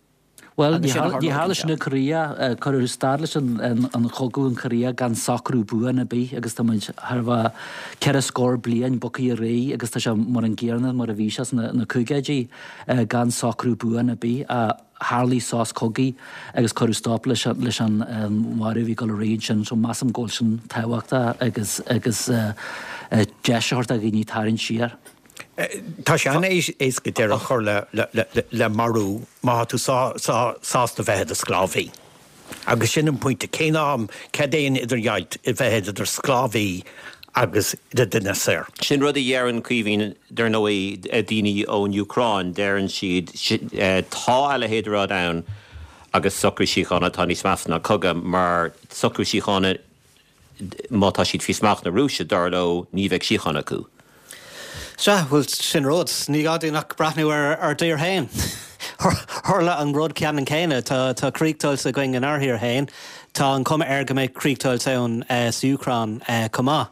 Bhuel, ní tharla sin i Korea. Cuireadh stad leis an chogadh in Korea gan socrú buan ar bith agus tá muid thar a bheith ceithre scór bliain bogtha ar aghaidh agus tá sé mar an gcéanna mar a bhí sé sna caogaidí gan socrú buan ar bith. Tharlaigh sos cogaidh agus cuireadh stop leis an mharú a bhí ag dul ar aghaidh ansin. So measaim go bhfuil sin tábhachtach agus agus deis a thabhairt do dhaoine tarraingt siar. Tá sé an-éasca deireadh a chur le marú má tá tú sásta bheith i do sclábhaí. Agus sin an pointe, cén am, cad é an idirdheighilt i bheith i do sclábhaí agus i do dhuine saor? Sin rud a dheireann Caoimhín, dar ndóigh, daoine ón Úcráin, deireann siad, tá a leithéid de rud ann agus socrú síochána atá níos measa ná cogadh, mar socrú síochána, má tá siad faoi smacht na Rúise, dar leo, ní bheidh síocháin acu. Sea, bhuel, sin rud. Ní gá dúinn ach breathnú ar ár dtír féin. Tharla an rud ceannann céanna. Tá tá críochdheighilt againn inár dtír féin. Tá an cuma air go mbeidh críochdheighilt ann sa Úcráin chomh maith.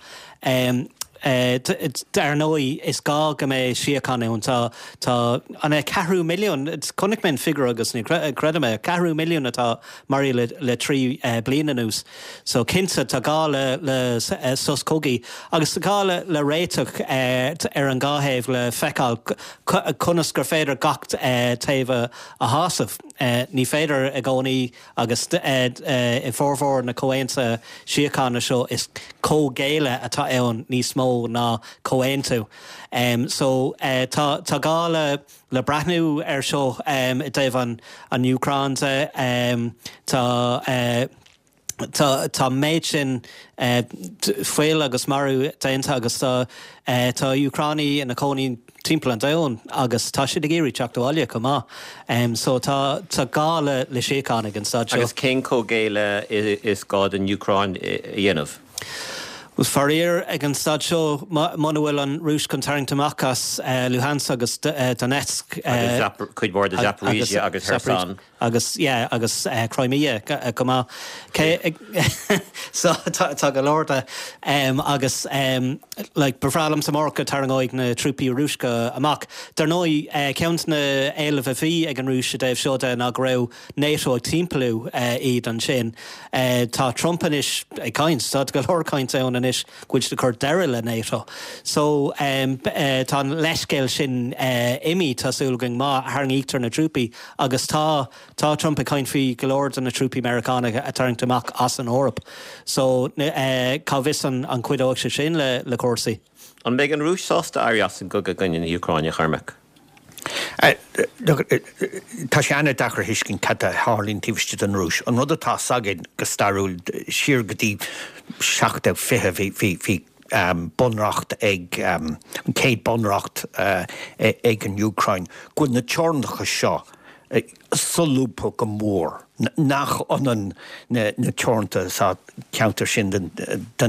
Dar ndóigh, is gá go mbeidh síocháin ann. Tá tá an é ceathrú milliún, chonaic mé an figiúr agus ní chreidim é, ceathrú milliún atá maraithe le le trí bliain anuas. So cinnte tá gá le le sos cogaidh agus tá gá le le réiteach ar an dhá thaobh le feiceáil conas gur féidir gach taobh a shásamh. Ní féidir i gcónaí agus i bhformhór na comhaontuithe síochána seo is comhghéilleadh atá ann níos mó ná comhaontú. So tá tá gá le le breathnú ar seo i dtaobh an an Úcráin de. Tá Tá tá méid sin fuil agus marú déanta agus tá tá Úcránaigh ina cónaí timpeall an domhain agus tá siad ag iarraidh teacht abhaile chomh maith. So tá tá gá le le síocháin ag an staid seo. Agus cén comhghéilleadh is gá don Úcráin a dhéanamh? Bhuel faraor ag an staid seo muna bhfuil an Rúis chun tarraingt amach as Luhansk agus Donetsk. Agus cuid mhór de Zaporizhzhia agus Kherson. Agus yeah agus Crimea chomh maith. So tá go leor de agus like ba bhreá liomsa amárach go dtarraingeoidh na trúpaí Rúiseacha amach. Dar ndóigh ceann de na héilimh a bhí ag an Rúis i dtaobh seo de ná go raibh NATO ag timpeallú iad ansin. Tá Trump anois ag caint, tá go leor caint ann anois go bhfuil siad ag cur deireadh le NATO. So tá an leithscéal sin imithe, tá súil againn, má tharraingítear na trúpaí agus tá tá Trump ag caint faoi go leor de na trúpaí Meiriceánacha a tarraingt amach as an Eoraip. So cá bhfios an an cuideoidh sé sin le le cúrsaí. An mbeidh an Rúis sásta éirí as an gcogadh i gcoinne na hÚcráine, a Chormaic? Tá sé an-deacair a thuiscint cad a tharlaíonn taobh istigh den Rúis. An rud atá 's againn go stairiúil, siar go dtí seacht déag fiche, bhí bhí bhí bunreacht ag, an chéad bunreacht ag an Úcráin, go bhfuil na teorainneacha seo solúbtha go mór, nach ionann na teoranta sa cheantar sin den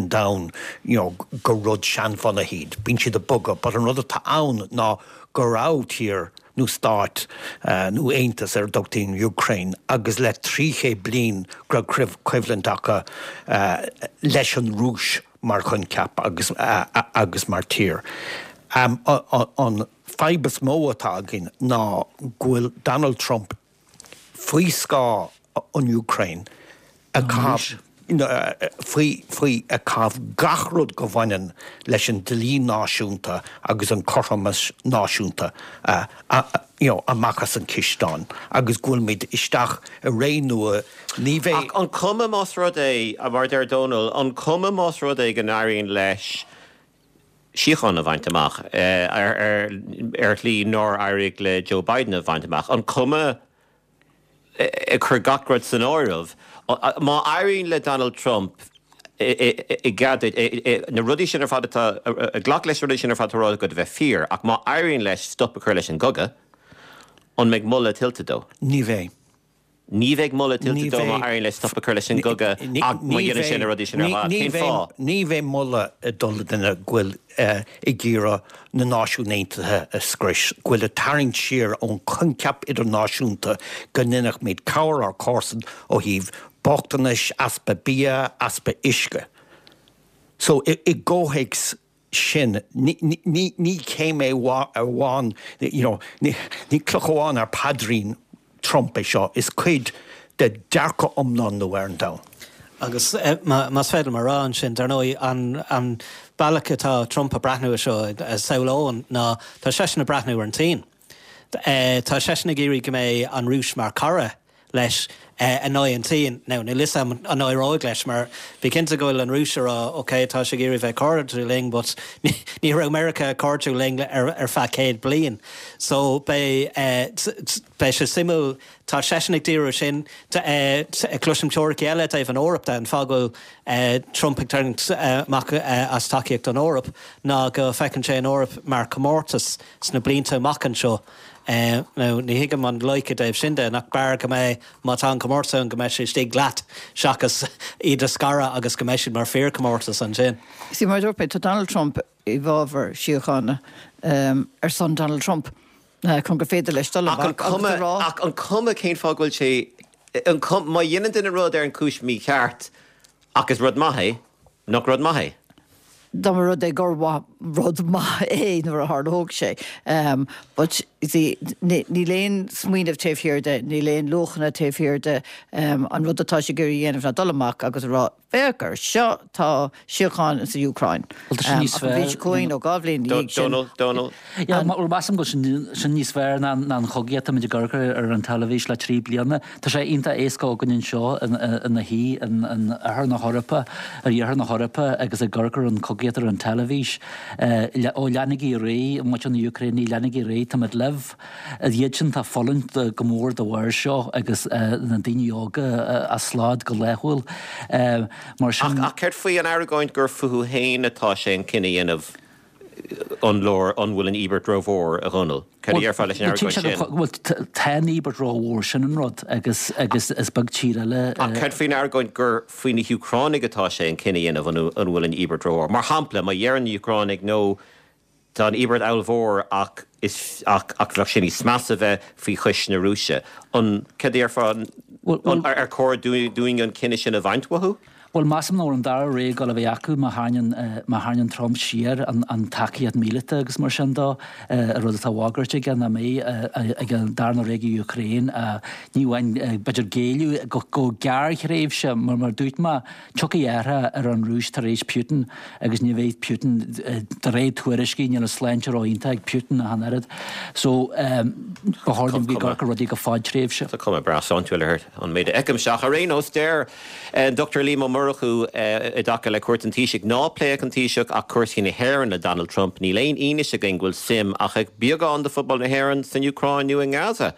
domhan, you know, gur rud seanbhunaithe iad. Bíonn siad ag bogadh, but an rud atá ann ná go raibh tír nó stát nó aontas ar a dtugtaí an Úcráin agus le trí chéad bliain go raibh coimhlint acu leis an Rúis mar choincheap agus agus mar tír. An fadhb is mó atá againn ná go bhfuil Donald Trump faoi scáth an Úcráin ag caitheamh faoi faoi ag caitheamh gach rud go bhaineann leis an dlí náisiúnta agus an cothromas náisiúnta you know amach as an cisteán agus go bhfuilimid isteach i ré nua ní bheidh Ach an cuma más rud é, mar a deir Dónal, an cuma más rud é go n-éiríonn leis síocháin a bhaint amach ar ar shlí nár éirigh le Joe Biden a bhaint amach, an cuma ag cur gach rud san áireamh, má éiríonn le Donald Trump i gcead na rudaí sin ar fad atá, glac leis na rudaí sin ar fad atá ráite agat a bheith fíor, ach má éiríonn leis stop a chur leis an gcogadh, an mbeidh moladh tuillte dó? Ní bheidh. Ní bheidh moladh tuillte dó má éiríonn leis stop a chur leis an gcogadh ach má dhéanann sé na rudaí sin ar fad. Cén fáth? Ní bheidh moladh ag dul do dhuine go bhfuil ag iarraidh na Náisiúin Aontaithe a scrios, go bhfuil ag tarraingt siar ón choincheap idirnáisiúnta go ndéanfaimid cabhair ár comharsan ó thaobh bochtanais, easpa bia, easpa uisce. So i gcomhthéacs sin, ní céim amháin, you know, ní cloch amháin ar paidrín Trump é seo, is cuid de dearcadh iomlán nua ar an domhan. Agus más féidir liom a rá ansin, dar ndóigh, an bealach atá Trump ag breathnú ar seo, samhlóinn, ná tá seisean ag breathnú ar an tSín. Tá seisean ag iarraidh go mbeidh an Rúis mar chara leis in aghaidh an tSín. Now, níl 'fhios a'm an éireoidh leis mar bí cinnte go bhfuil an Rúis ag rá ok, tá sé ag iarraidh bheith cairdiúil linn but ní raibh Meiriceá cairdiúil linn ar ar feadh céad bliain. So beidh beidh sé suimiúil, tá seisean ag díriú sin. Cloisim teoiricí eile i dtaobh an Eoraip de, an fáth go bhfuil Trump ag tarraingt amach as tacaíocht don Eoraip ná go bhfeiceann sé an Eoraip mar comórtas sna blianta amach anseo. Now ní thuigim an loighic i dtaobh sin de, nach b'fhearr go mbeidh, má tá an comórtas ann, go mbeidh sé istigh leat seachas iad a scaradh agus go mbeidh siad mar fíorchomórtas ansin. See, mar a dúirt mé, tá Donald Trump i bhfabhar síochána ar son Donald Trump chun gur féidir leis dul amach agus a rá. Ach an cuma cén fáth go bhfuil sé, an cuma, má dhéanann duine rud ar an gcúis mícheart ach is rud maith é, nach rud maith é? Dá mba rud é gur rud maith é nuair a tharlódh sé. But you see, níl aon smaoineamh taobh thiar de, níl aon luachanna taobh thiar de. An rud atá sé ag iarraidh a dhéanamh ná dul amach agus a rá, féach air seo, tá síocháin sa Úcráin. Bhuel, tá sin níos Ach an bhliain seo chugainn nó dhá bhliain ina dhiaidh sin. Dónal, Dónal. Yeah, bhuel, measaim go bhfuil sin níos fearr ná an chogaíocht atáimid ag amharc ar an teilifís le trí bliana. Tá sé iontach éasca againn anseo ina shuí in oirthear na hEorpa, ar iarthar na hEorpa agus ag amharc ar an chogaíocht ar an teilifís. Ó leanaigí ar aghaidh, muintir na hÚcráine, leanaigí ar aghaidh, táimid libh. Iad sin atá ag fulaingt go mór de bharr seo agus na daoine óga á slad go laethúil. Mar sin. Ach céard faoi an argóint gur fúthu féin atá sé an cinneadh a dhéanamh an leor, an bhfuil an íobairt rómhór, a Dhónaill? Céard a déarfá leis an argóint sin? Bhuel, tá an íobairt rómhór, sin an rud, agus agus is beag tír eile. Ach céard faoin argóint gur faoi na hÚcránaigh atá sé an cinneadh a dhéanamh an an bhfuil an íobairt rómhór? Mar shampla, má dheireann na hÚcránaigh no, tá an íobairt ollmhór ach is ach ach bheadh sé níos measa bheith faoi chois na Rúise, an céard a déarfá, an ar chóir dúinn an cinneadh sin a bhaint uathu? Bhuel, measaim nach bhfuil an dara rogha ag dul a bheith acu má tharraingíonn má tharraingíonn Trump siar an an tacaíocht míleata agus mar sin dó, an rud atá á bhagairt aige nach mbeidh ag an darna rogha ag an Úcráin ní amháin b'fhéidir géilleadh go go gearrthréimhse mar mar dúirt mé, tiocfaidh athrú ar an Rúis tar éis Putin agus ní bheidh Putin de réir tuairiscí níl a sláinte ró-iontach ag Putin ach an oiread. So ba chóir dúinn bheith ag amharc ar rudaí go fadtréimhse. Tá cuma breá sláintiúil air an méid a fheicimse ach ar aon nós deir Dr Liam Ó Murchú i dtaca le cuairt an Taoisigh ná pléadh an Taoiseach ach cúrsaí na hÉireann le Donald Trump. Níl aon fhianaise againn go bhfuil suim ach ag beagán de phobal na hÉireann san Úcráin nó i nGaza.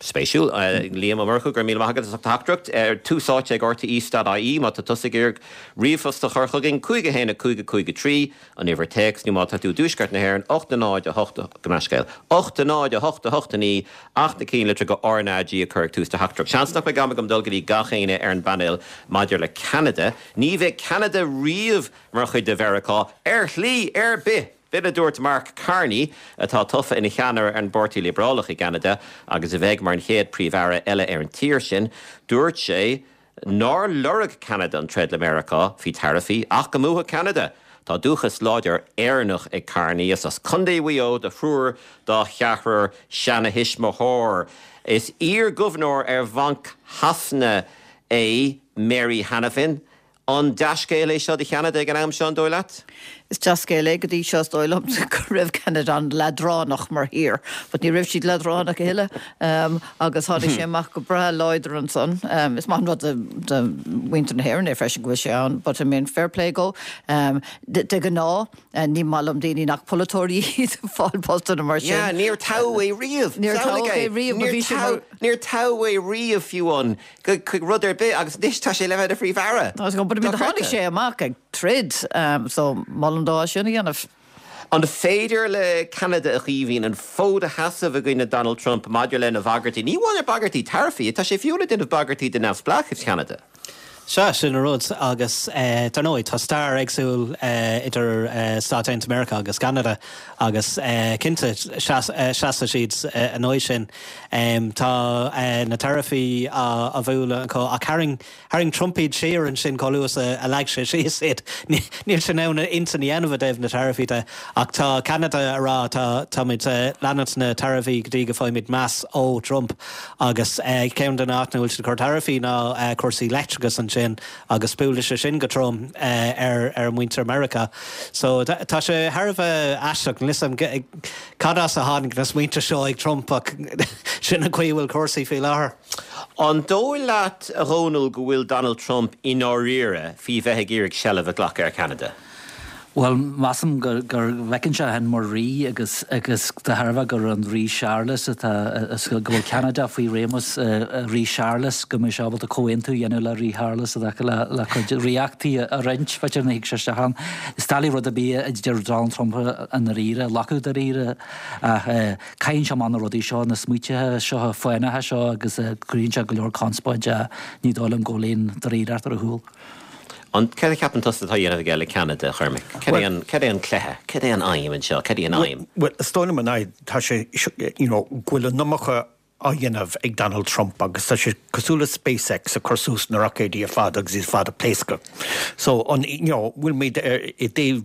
Spéisiúil. Liam Ó Murchú, go raibh míle maith agat as ucht do theachtaireacht. Tús Áite ag rte.ie má tá tusa ag iarraidh ríomhphost a chur chugainn, cúig a haon a cúig a cúig a trí, an uimhir téacs, nó má tá tú i dtuaisceart na hÉireann, ocht a náid a hocht, gabh mo leithscéal, ocht a náid a hocht a hocht a naoi, ach na cinn litreacha RnaG a chur ag tús do theachtaireacht. Seans nach mbeidh am agam dul go dtí gach éinne ar an bpainéal maidir le Ceanada. Ní bheidh Ceanada riamh mar chuid de Mheiriceá ar shlí ar bith! B'in a dúirt Mark Carney, atá tofa ina cheannaire ar an bPáirtí Liobrálach i gCeanada agus a bheidh mar an chéad Phríomh-Aire eile ar an tír sin. Dúirt sé nár lorg Ceanada an troid le Meiriceá faoi taraifí ach go mbuafadh Ceanada. Tá dúchas láidir Éireannach ag Carney. Is as Contae Mhaigh Eo do thriúr dá cheathrar seanathuismitheoir. Is iar-ghobharnóir ar Bhanc Shasana é Mary Hanafin. An dea-scéal é seo do Cheanada ag an am seo, an dóigh leat? Is dea-scéal é go dtí seo, is dóigh liom, go raibh Ceanada an-leadránach mar thír, but ní raibh siad leadránach a thuilleadh agus tháinig sé amach go breá láidir ansan. Is maith an rud do mhuintir na hÉireann é freisin go bhfuil sé ann, but I mean fair play dhó. De ghnáth, ní maith liom daoine nach polaiteoirí iad ag fáil postanna mar sin. Yeah, níor toghadh é riamh. Níor toghadh é riamh, but bhí sé mar. Níor toghadh é riamh fiú amháin chuig rud ar bith agus anois tá sé le bheith ina Phríomh-Aire. But I mean tháinig sé amach ag troid so molaim dó as sin a dhéanamh. An féidir le Ceanada, a Chaoimhín, an fód a sheasamh i gcoinne Donald Trump maidir lena bhagairtí? Ní amháin ar bagairtí taraifí, tá sé fiú ag déanamh bagairtí de neamhspleáchas Cheanada. Sea, sin an rud agus dar ndóigh tá stair éagsúil idir Stáit Aontaithe Meiriceá agus Ceanada agus cinnte seasfaidh siad in aghaidh sin. Tá na taraifí á bhualadh acu ach tharraing Tharraing Trump iad siar ansin chomh luath is a leag sé síos iad. Níl sé in ann intinn a dhéanamh i dtaobh na taraifí de ach tá Ceanada ag rá tá táimid ag leanúint na taraifí go dtí go bhfaighimid meas ó Trump agus ceann de na áiteanna a bhfuil siad ag cur taraifí ná cúrsaí leictreachais ansin agus buailfidh sé sin go trom ar ar mhuintir Meiriceá. So tá sé thar a bheith aisteach, níl 'fhios a'm cad as a tháinig na smaointe seo ag Trump ach sin an chaoi a bhfuil cúrsaí faoi láthair. An dóigh leat, a Dhónaill, go bhfuil Donald Trump i ndáiríre faoi bheith ag iarraidh seilbh a ghlacadh ar Cheanada? Bhuel, measaim go bhfeiceann sé féin mar rí agus agus de thairbhe gur an Rí Séarlas atá go bhfuil Ceanada faoi réimeas Rí Séarlas go mbeidh sé ábalta comhaontú a dhéanamh le Rí Shearlas i dtaca le le cuid ríochtaí a roinnt, b'fhéidir ní thig sé isteach ann. Is doiligh rud ar bith a deir Donald Trump i ndáiríre, a ghlacadh dáiríre ach caitheann sé amach na rudaí seo, na smaoitithe seo fánacha seo agus cruthaíonn sé go leor conspóide ní dóigh liom go bhfuil aon dáiríreacht ar a chúl. An céard a cheapann tusa atá á dhéanamh aige le Ceanada, a Chormaic? Cad é an cad é an cluiche? Cad é an aidhm anseo? Cad é an aidhm? Bhuel, is dóigh liom an aidhm, tá sé, you know, go bhfuil an iomarca á dhéanamh ag Donald Trump agus tá sé cosúil le SpaceX ag cur suas na roicéidí ar fad agus iad ar fad ag pléascadh. So, an, you know, bhfuil muid ar i dtaobh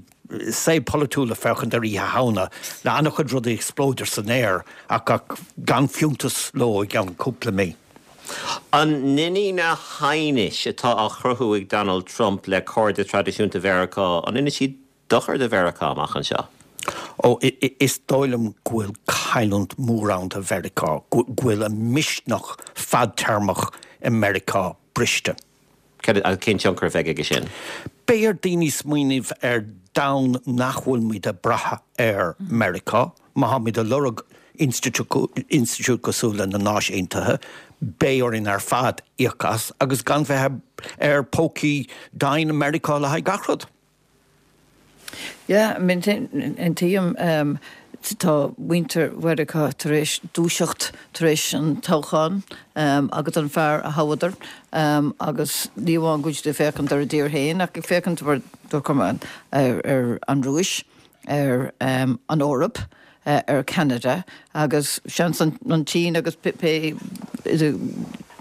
saol polaitiúil ag féachaint ar Oíche Shamhna le an-chuid rudaí ag spleodar san aer ach ach gan fiúntas leo i gceann cúpla mí. An ndéanfaidh na haighnis atá á chruthú ag Donald Trump le cairde traidisiúnta Mheiriceá, an ndéanfaidh siad dochar do Mheiriceá amach anseo? Ó, is dóigh liom go bhfuil cailliúint mhór ann do Mheiriceá, go bhfuil an misneach fadtéarmach i Meiriceá briste. Cén tionchar a bheidh aige sin? Beidh ar daoine smaoineamh ar domhan nach bhfuil muid ag brath ar Meiriceá, má táimid ag lorg institiúid cosúil le na Náisiúin Aontaithe, beidh orainn ar fad íoc as agus gan bheith ar pócaí doimhne Meiriceá le haghaidh gach rud. Yeah, I mean, aontaím tá muintir Mheiriceá tar éis dúiseacht tar éis an toghchán agus an fear a thoghadar agus ní amháin go bhfuil siad ag féachaint ar a dtír féin ach ag féachaint ar ar an Rúis, ar an Eoraip, ar Canada agus seans an tSín agus pé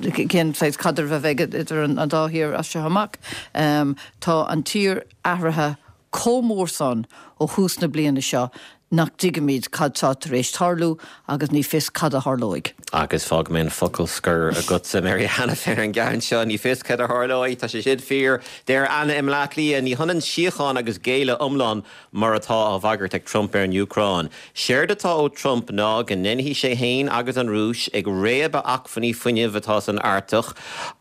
cén saghas caidreamh a bheidh idir an dá thír as seo amach. Tá an tír athraithe chomh mór san ó thús na bliana seo nach dtuigimid cad tá tar éis tarlú agus ní fios cad a tharlóidh. Agus fágfaidh mé an focal scoir agatsa Mary Hanafin ar an gceann seo, ní fios cad a tharlóidh, tá sé sin fíor. Deir Anna i mBleá Cliath, ní hionann síocháin agus géilleadh iomlán mar atá á bhagairt ag Trump ar an Úcráin. Séard atá ó Trump ná go ndéanfaidh sé féin agus an Rúis ag réabadh acmhainní fuinnimh atá san Artach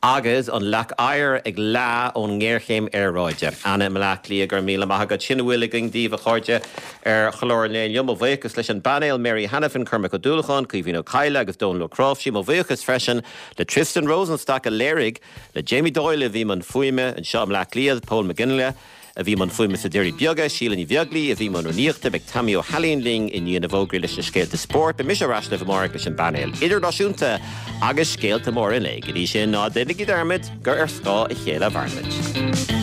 agus an leac oighir ag leá ón ngéarchéim aeráide. Anna i mBleá Cliath, go raibh míle maith agat. Sin a bhfuil againn daoibh a chairde ar chlár an lae inniu. Mo bhuíochas leis an bpainéal Mary Hanafin, Cormac Ó Dúlacháin, Caoimhín Ó Cadhla agus Dónal Ó Cnáimhsí. Mo bhuíochas freisin le Tristan Rosenstock a léirigh, le Jamie Doyle a bhí i mbun fuaime anseo i mBleá Cliath, Paul McGinley a bhí i mbun fuaime sna Doirí Beaga, Síle Ní Bheaglaoí a bhí i mbun rúnaíochta, beidh Tommy Ó hAilín linn i ndiaidh na bhfógraí leis na scéalta spóirt. Beidh mise ar ais libh amárach leis an bpainéal idirnáisiúnta agus scéalta móra an lae. Go dtí sin ná déanaigí dearmad gur ar scáth a chéile a mhairimid.